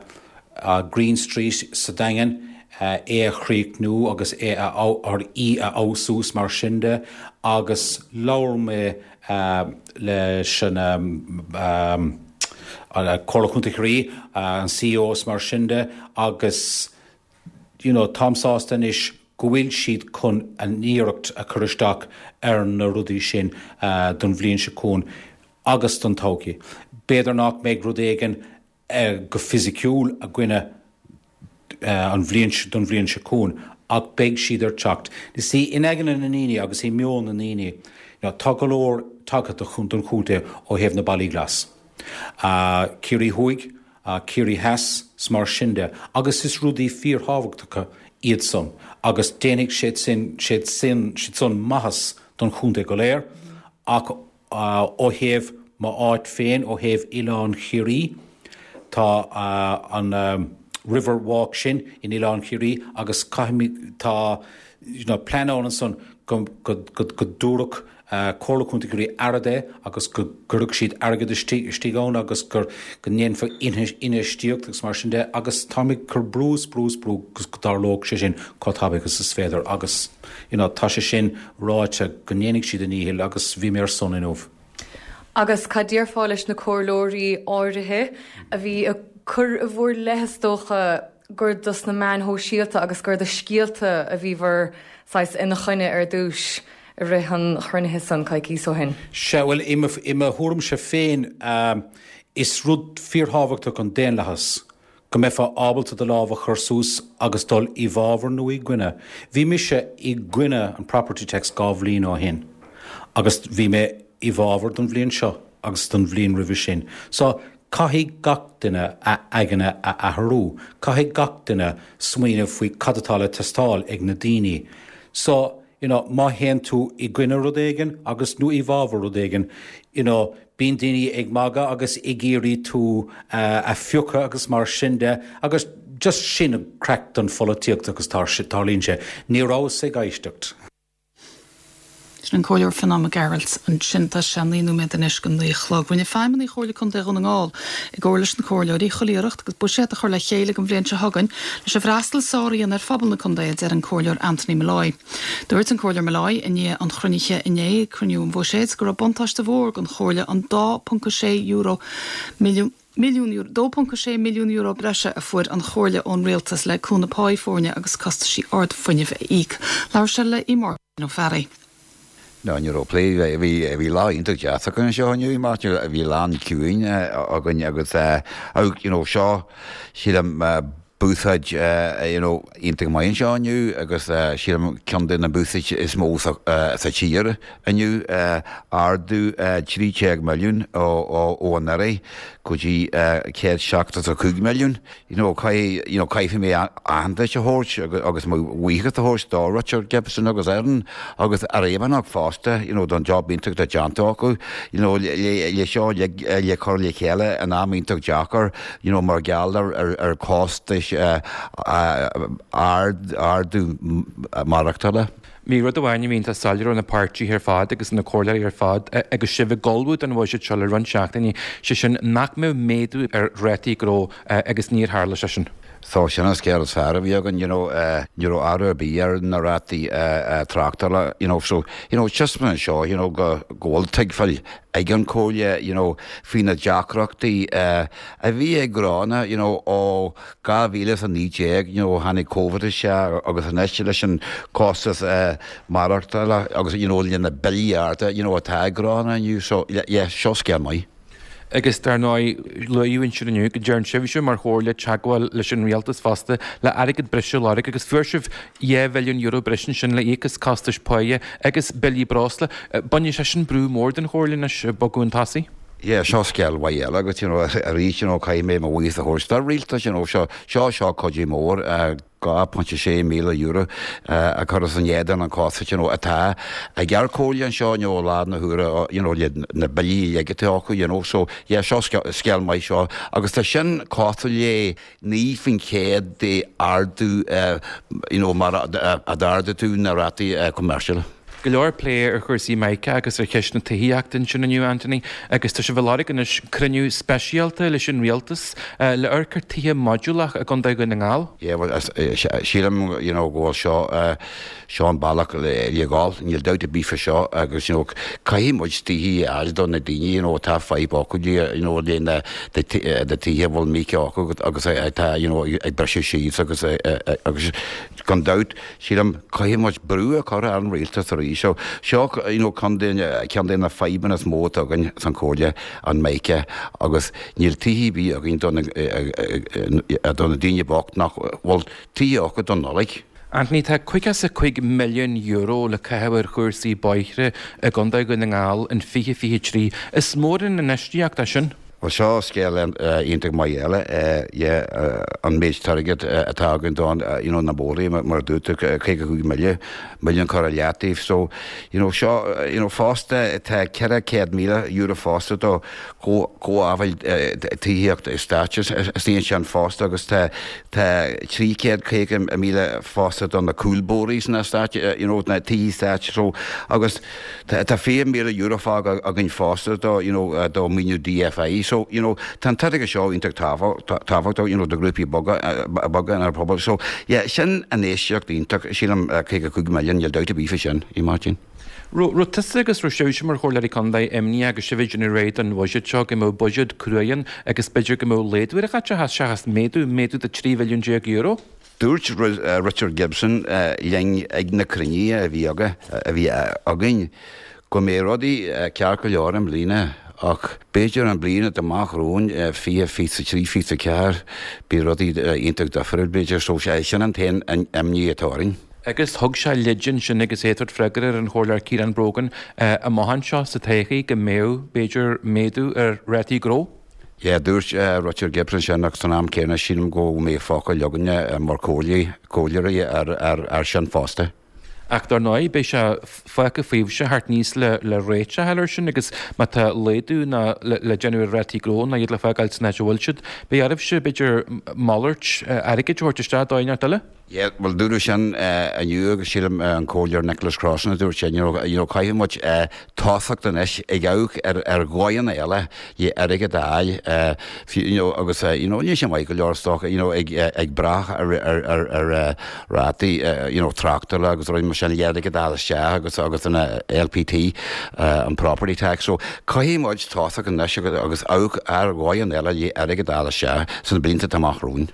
uh, Green Street sa Daingean uh, é a chríochnú agus é a ar í a fheabhsú mar sin de agus labhair mé uh, leis an um, um, Comhairle Contae Chiarraí an CEO mar sin de agus you know, táim sásta anois go bhfuil siad chun an iarracht a chur isteach ar na rudaí sin uh, don bhliain seo chugainn agus don todhchaí. B'fhéidir nach mbeidh rud éigin uh, go fisiciúil againne uh, an bhliain don bhliain seo chugainn ach beidh siad ar teacht. Is í in aigne na ndaoine agus i meon na ndaoine, you know, tá go leor tagtha chun don chontae ó thaobh na bealaí glas. Uh, Ciarraí Thuaidh, uh, Ciarraí Theas mar sin de, agus is rudaí fíorthábhachtacha iad san, agus déanfaidh siad sin siad sin siad san maitheas don chontae go léir, ach uh, ó thaobh m'áit féin ó thaobh Oileán Chiarraí, tá uh, an um, River Walk sin in Oileán Chiarraí agus caithfimid tá you know, plean ann san go go go go dtabharfadh uh, Comhairle Contae Chiarraí aire de agus go gcuirfeadh siad airgead istigh ann agus gur go ndéanfar infheistíocht agus mar sin de agus táim cur brús brús brú go dtarlódh sé sin chomh tapaidh agus is féidir agus you know, tá sé sin ráite go ndéanfaidh siad a ndícheall agus bhí mé ar son inniu. Agus cad déarfá leis na comhairleoirí áirithe a bhí ag cur i bhur leith is dócha gur dos na meáin shóisialta agus gur do scéalta a bhí bhur saghas ina choinne ar dtús i rith an chruinnithe san coicís ó shin. Se bhfuil i mo thuairimse féin um, is rud fíorthábhachtach an daonlathas go mbeifeá ábalta do lámh a chur suas agus dul i bhfabhar nó i gcoinne. Bhí mise i gcoinne an property tax dhá bhliain ó shin, agus bhí mé i bhfabhar don bhliain seo agus don bhliain roimhe sin. So caithfidh gach duine a aigne a athrú, caithfidh gach duine smaoineamh faoi cad atá le teastáil ag na daoine. So, you know, má théann tú i gcoinne rud éigin agus nó i bhfabhar rud éigin, you know, bíonn daoine ag magadh agus ag iarraidh tú uh, a phiocadh agus mar sin de, agus just sin an craic don pholaitíocht agus tarlaíonn sé, ní rabhas ag éisteacht. Sin an Comhairleoir Fionán Mac Gearailt ansin tá sé naoi nóiméad anois go naoi a chlog. Rinne feidhmeannaigh Chomhairle Contae Dhún na nGall i gcomhar leis na comhairleoirí chuile iarracht agus buiséad a chur le chéile don bhliain seo chugainn leis an bhfreastal is fearr a dhéanamh ar phobal na contae a deir an Comhairleoir Anthony Molloy. Dúirt an Comhairleoir Molloy i ndiaidh an chruinnithe inné cruinniú an bhuiséid go raibh buntáiste mhór don chomhairle an dá ponc sé euro milliún Milliún euro dó ponc sé milliún euro breise a fuair an chomhairle ón rialtas le cúnamh pá foirne agus costaisí ard fuinnimh a íoc. Labhair sé le Máirtín Ó Fearraigh. No ní raibh plé bhí bhí lá iontach deas againn seo inniu mar bhí lá ciúin againn agus you know seo sílim buiséad you know iontach maith anseo inniu agus sílim ceann de na buiséid is mó sa tír inniu ardú trí déag milliún ó anuraidh go dtí céad seachtó a cúig milliún. You know you know caithfidh mé aitheantas a thabhairt agus mo bhuíochas a thabhairt do Richard Gibson agus Erin agus ar éimeach fosta you know don job iontach atá déanta acu you know le le seo le le chur le chéile in am iontach deacair you know mar gheall ar ar ar costais ard ardú maireachtála. Bhí rud amháin a bhíonn tá soiléir ó na páirtithe ar fad agus na comhairleoirí ar fad agus sibh ag ullmhú don bhuiséad seo le roinnt seachtainí sé sin nach mbeadh méadú ar rátaí gnó agus níor tharla sé sin. So sin an scéal is fearr a bhí againn you know ní raibh athrú ar bith ar na rátaí tráchtála you know so you know just mar seo you know go go bhfuil tuigbheáil ag an chomhairle you know faoi na deacrachtaí a bhí ag gnónna you know ó dhá mhíle is a naoi déag you know tháinig Covid isteach agus anois leis an costas maireachtála agus you know le na billí arda you know atá ag gnónna inniu so yeah seo scéal maith. Agus dar ndóigh, luadh ansin inniu go dtearn sibhse mar chomhairle teagmháil leis an rialtas fosta le airgead breise a lorg agus fuair sibh dhá mhilliún euro breise ansin le íoc as costais páighe agus billí breosla. Bainfidh sé sin brú mór den chomhairle anois bogadh chun tosaigh. Yeah, seo scéal mhaith eile agus you know arís you know caithfidh mé mo bhuíochas a thabhairt don rialtas you know seo seo seo cuidiú mór dhá pointe sé míle euro a chur as in éadan an costas you know atá ag ár comhairle anseo you know i láthair na huaire you know le na billí uilig atá acu you know so yeah seo scéal maith seo agus tá sin cosúil le naoi faoin chéad de ardú you know mar a d'ardaigh tú na rátaí commercial. Go leor plé ar chúrsaí Mica agus ar cheist na tithíochta ansin inniu, Anthony, agus tá sibh ag lorg anois cruinniú speisialta leis an rialtas le amharc ar tithe modúlach i gContae Dhún na nGall. Yeah, well, sílim you know, go bhfuil seo seo an bealach le dhul, níl dabht ar bith fá seo agus you know, caithfidh muid tithe a fháil do na daoine you know, atá fadhb acu you know, le na tithe a bhfuil Mica acu agus atá you know, ag briseadh síos agus agus gan dabht sílim caithfidh muid brú a chur ar an rialtas arís. So seo you know ceann de ceann de na fadhbanna is mó atá againn san comhairle an Mica agus níl tithe ar bith againn do na do na daoine bocht nach bhfuil tithe acu don Nollaig. Anthony, tá caoga is a cúig milliún euro le caitheamh ar chúrsaí bóithre i gContae Dhún na nGall in fiche fiche trí. Is mór an infheistíocht é sin. Bhuel seo scéal iontach maith eile, yeah, an méid airgid atá againn don, you know, na bóithre mar a dúirt tú, caoga cúig mille, milliún curtha i leataobh. So, you know, seo, you know, fosta tá ceithre chéad míle euro fosta do chothabháil tithíocht stáit istigh ansin fosta agus tá tá trí chéad caoga míle fosta do na cúlbóithre sna stáit, you know, na tithe stáit. So, agus tá fiche míle euro fágtha againn fosta do, you know, do maoiniú DFI. So, you know, tá an t-airgead seo iontach tábhachtach, you know, do ghrúpaí boga, boga inár bpobal. So, yeah, sin infheistíocht iontach, sílim, caoga cúig milliún, níl dabht ar bith faoi sin, a Mháirtín. Raibh tusa agus raibh sibhse mar chomhairleoirí contae imníoch agus sibh ag déanamh réidh don bhuiséad seo go mbeadh buiséad crua ann agus b'fhéidir go mbeadh laghdú ar an chaiteachas seachas méadú, méadú de trí mhilliún déag euro? Dúirt Richard Gibson linn ag na cruinnithe a bhí aige, a bhí againn, go mbeidh rudaí ceart go leor i mbliana ach b'fhéidir an bliain atá amach romhainn, fiche, fiche a trí, fiche a ceathair, beidh rudaí iontach difriúil b'fhéidir. So sin an t-aon imní atá orainn. Agus thug sé leid ansin agus é ag tabhairt freagra ar an Chomhairleoir Ciarán Brogan amach anseo sa todhchaí go mbeadh, b'fhéidir, méadú ar rátaí gnó. Yeah, dúirt Richard Gibson sin ach san am céanna sílim go mbeidh focal againne mar chomhairleoirí ar sin fosta. Ach dar ndóigh, beidh sé fágtha faoibhse theacht aníos le le réiteach a fháil air sin agus má tá laghdú ná le déanamh ar rátaí gnó ná iad le fágáil san áit a bhfuil siad, beidh oraibhse, b'fhéidir, malairt airgid a thabhairt isteach dóigh inteacht eile. Yeah, bhuel dúradh sin inniu agus sílim an Comhairleoir Nicholas Crossan a dúirt sin, you know, you know caithfidh muid tosacht anois ag amharc ar ar dhóigheanna eile le airgead a fháil you know agus you know níl sé maith go leor is dócha you know ag ag brath ar ar ar ar rátaí you know tráchtála agus rudaí mar sin le airgead a fháil isteach agus agus an LPT an property tax so caithfidh muid tosacht anois agus agus amharc ar dhóigheanna eile le airgead a fháil isteach sna blianta atá amach romhainn.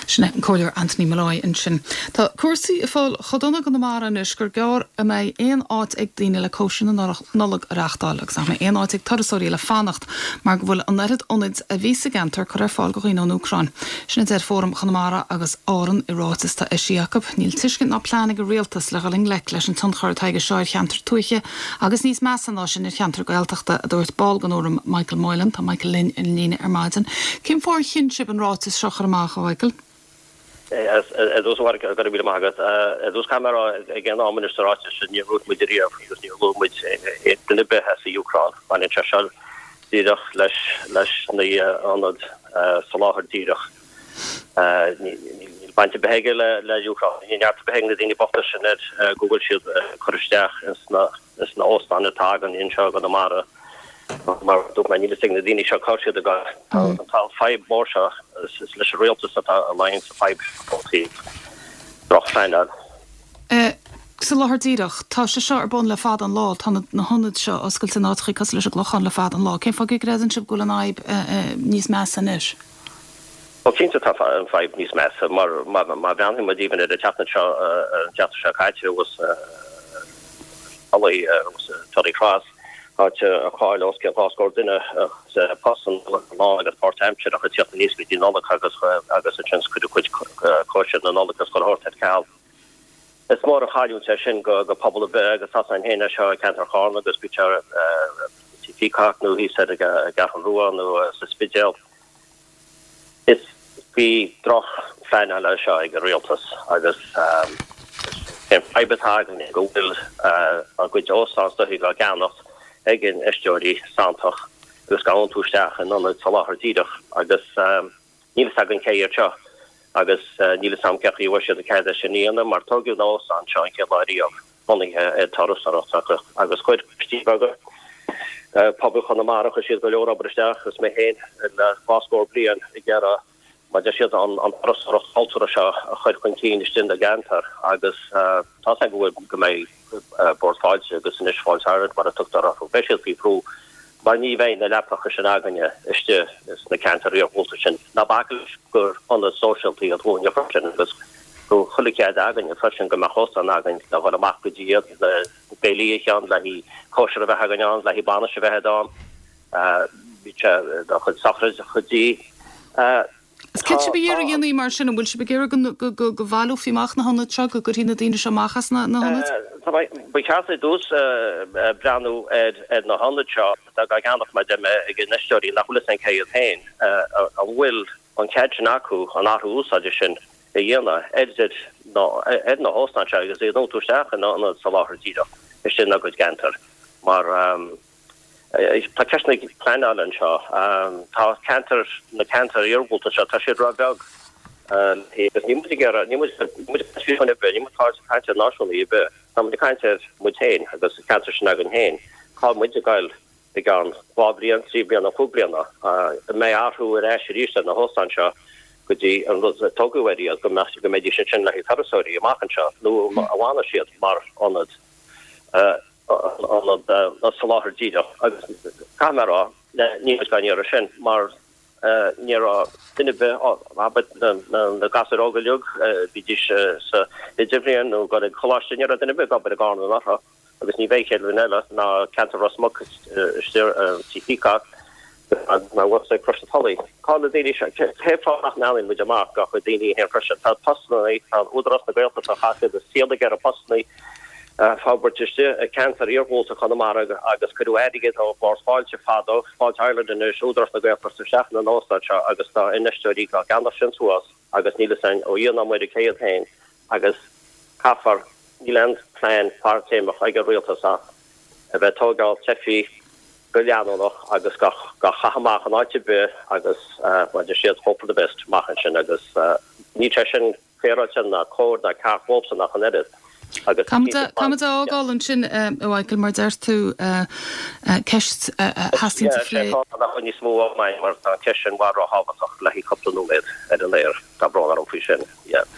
Sin é an Comhairleoir Anthony Molloy ansin. Tá cúrsaí ag fáil chomh dona i gConamara anois gur gearr a mbeidh aon áit ag daoine le cóisir na Nollag a reáchtáil agus nach mbeidh aon áit ag turasóirí le fanacht mar go bhfuil an oiread ionaid a bhí sa gceantar curtha ar fáil do dhaoine ón Úcráin. Sin a deir Fóram Chonamara agus Árann i ráiteas atá eisithe acu. Níl tuiscint ná plean ag an rialtas le dhul i ngleic leis an tionchar atá aige seo ar cheantar tuaithe agus níos measa ná sin ar cheantar Gaeltachta, a dúirt ball den Fhóram Michael Moylan. Tá Michael linn ar an líne ar maidin. Cén fáth ar chinn sibh an ráiteas seo a chur amach, a Mhichael? Ar dtús, a Mháire, go raibh míle maith agat. Ar dtús, caithfidh mé a rá, ag aon am anois sa ráiteas sin, níor luaigh muid ariamh agus níor luaigh muid duine ar bith as an Úcráin. Baineann sé seo díreach leis leis na hionaid soláthair díreach. Níl baint ar bith aige le le Úcráin. Níl neart ar bith ag na daoine bochta sin air go bhfuil siad ag cur isteach ins na ins na óstáin atá againn anseo i gConamara. Mar a dúirt mé, níl fhios ag na daoine seo cá raibh siad ag dul. Tá an fadhb mhór seo, is leis an rialtas atá a luíonn an fadhb ó thaobh drochphleanáil. Soláthar díreach, tá sé seo ar bun le fada an lá, tá na hionaid seo oscailte in áiteachaí cosúil leis an gClochán le fada an lá. Cén fáth go gcreideann sibh go bhfuil an fhadhb níos measa anois? Bhuel, cinnte tá an fadhb níos measa mar má bhreathnaíonn muid even ar an tseachtain seo, an tseachtain seo caite thuas i Tully, thuas i Tully Cross, Áit a chaill os cionn dhá scór duine postanna lán agus páirtaimseartha ag teacht aníos go dtí Nollaig agus agus ansin cuireadh cuid cóisir na Nollag agus chuile shórt ar ceal. Is mór an chailliúint é sin go go pobal ar bith agus tá a fhios againn féin é seo i gceantar Charna agus bíodh sé i Peacock nó thíos ar an gCeathrú Rua nó sa Spidéal. Is bhí droch-phleanáil é seo ag an rialtas agus an fadhb atá againne go bhfuil a gcuid óstán is dóichí á gceannacht ag infheisteoirí santach agus á n-iontú isteach in ionad soláthar díreach agus níl fhios againn cé iad seo agus níl fhios agam cén chaoi a bhfuair siad an cead é sin a dhéanamh mar tógadh na hóstáin seo an chéad lá riamh bunaithe ar turasóireacht agus chuir coistí beaga pobail Chonamara, chuir siad go leor obair isteach agus mé féin le dhá scór bliain ag iarraidh mar a deir siad an turasóireacht chultúrtha seo a chur chun cinn istigh ina gceantar agus tá fhios agam go bhfuil go mbeidh Bord Fáilte agus anois Fáilte Ireland mar a tugtar orthu, beidh siad faoi bhrú mar ní bheidh na leapacha sin againne istigh sna ceantair iarghúlta sin. Ná bac leis gur ionad sóisialta iad dhúinne freisin agus go bhfuil chuile chead againne freisin go mbeadh óstán againn le dhul amach go dtí iad le béilí a cheann, le haghaidh cóisir a bheith againn ann, le haghaidh bainis a bheith ann, bhí sé do chuid sochraide dí. Is céard tá sibh ag iarraidh a dhéanamh mar sin, an bhfuil sibh ag iarraidh go go bhaileofaí amach na hionaid seo, go gcuirfí na daoine seo amach as na hionaid? Ba cheart ar dtús breathnú ar na hionaid seo atá á gceannach mar a deir mé ag infheisteoirí nach bhfuil fhios againn cé hiad féin, an bhfuil an cead sin acu an athrú úsáide sin a dhéanamh ar na hóstáin seo agus iad a iontú isteach in ionad soláthar díreach istigh ina gcuid gceantar mar tá ceisteanna pleanála anseo. Tá ceantair, na ceantair iargúlta seo, tá siad ró-bheag agus níl muid ag iarraidh, níl muid ag caint faoi ar bith, níl muid ag caint ar náisiúnaí ar bith, tá muid ag caint ar muid féin agus an ceantar sin againn féin, cá bhfuil muid ag goil i gceann dhá bhliain, trí bliana, cúig bliana, an mbeidh athrú ar ais arís ar na hóstáin seo go dtí an rud a tógadh air iad, go mbeadh, go mbeidís ansin le haghaidh turasóirí amach anseo nó an bhfanfaidh siad mar ionad, ionad soláthair díreach. Agus caithfidh mé a rá, níl muid gan iarraidh sin mar ní raibh duine ar bith, abair, na gasúir óga uilig, bídís sa idirbhliain nó ag dul ag coláiste, ní raibh duine ar bith ag obair i gCarna anuraidh. agus ní bheidh chéad bhliain eile ná ceantar Ros Muc istigh Tí Peacock ná uait ag Crois na Tulaí. Cá na daoine seo? Cén fáth nach mbreathnaíonn muid amach dá chuid daoine féin freisin? Tá postanna, tá Údarás na Gaeltachta chaith siad a saol ag iarraidh postanna a forbairt istigh i ceantar iarghúlta Chonamara agus cuireadh airgead ó Bhord Fáilte fadó, Fáilte Ireland anois, Údarás na Gaeltachta isteach ina n-óstán seo agus tá infheisteoirí á gceannach sin suas agus níl fhios againn ó Dhia ná Muire cé hiad féin agus caithfear Níl aon phlean fadtéarmach ag an rialtas ach a bheith ag tógáil teifigh go leanúnach agus á gcaitheamh amach in áit ar bith agus mar a deir siad hope for the best amach ansin agus níl sé sin féaráilte ná cóir ná ceart dhóibhsean ach an oiread agus Caithfimid é a fhágáil ansin a Mhichael mar deir tú ceist a theastaíonn a phlé. Nach bhfuil níos mó ama againn mar tá an cheist sin i bhfad ró-thábhachtach le haghaidh cúpla nóiméad ar an aer. Tá brón orm faoi sin. Yeah.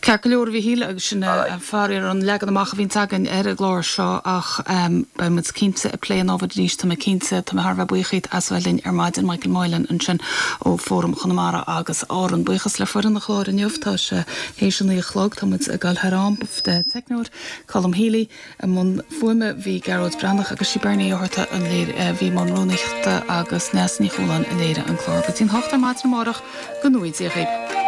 Ceart go leor a Mhichíl, agus sin faraor an leagan amach a bhíonns againn ar an gclár seo ach beidh muid cinnte ag plé an ábhair arís, tá mé cinnte. Tá mé thar a bheith buíoch díot as a bheith linn ar maidin, Michael Moylan ansin ó Fóram Chonamara agus Árann. Buíochas le foireann an chláir inniu, tá sé théis a naoi a chlog, tá muid ag dul thar am. Teicneoir, Colm Healy, i mbun fuaime bhí Gearóid Breathnach agus sí Bernie Ó hEarta a bhí i mbun rúnaíochta agus Neasa Ní Chualáin a léirigh an clár. Go dtí an hocht ar maidin amárach, go ngnóthaí Dia dhaoibh.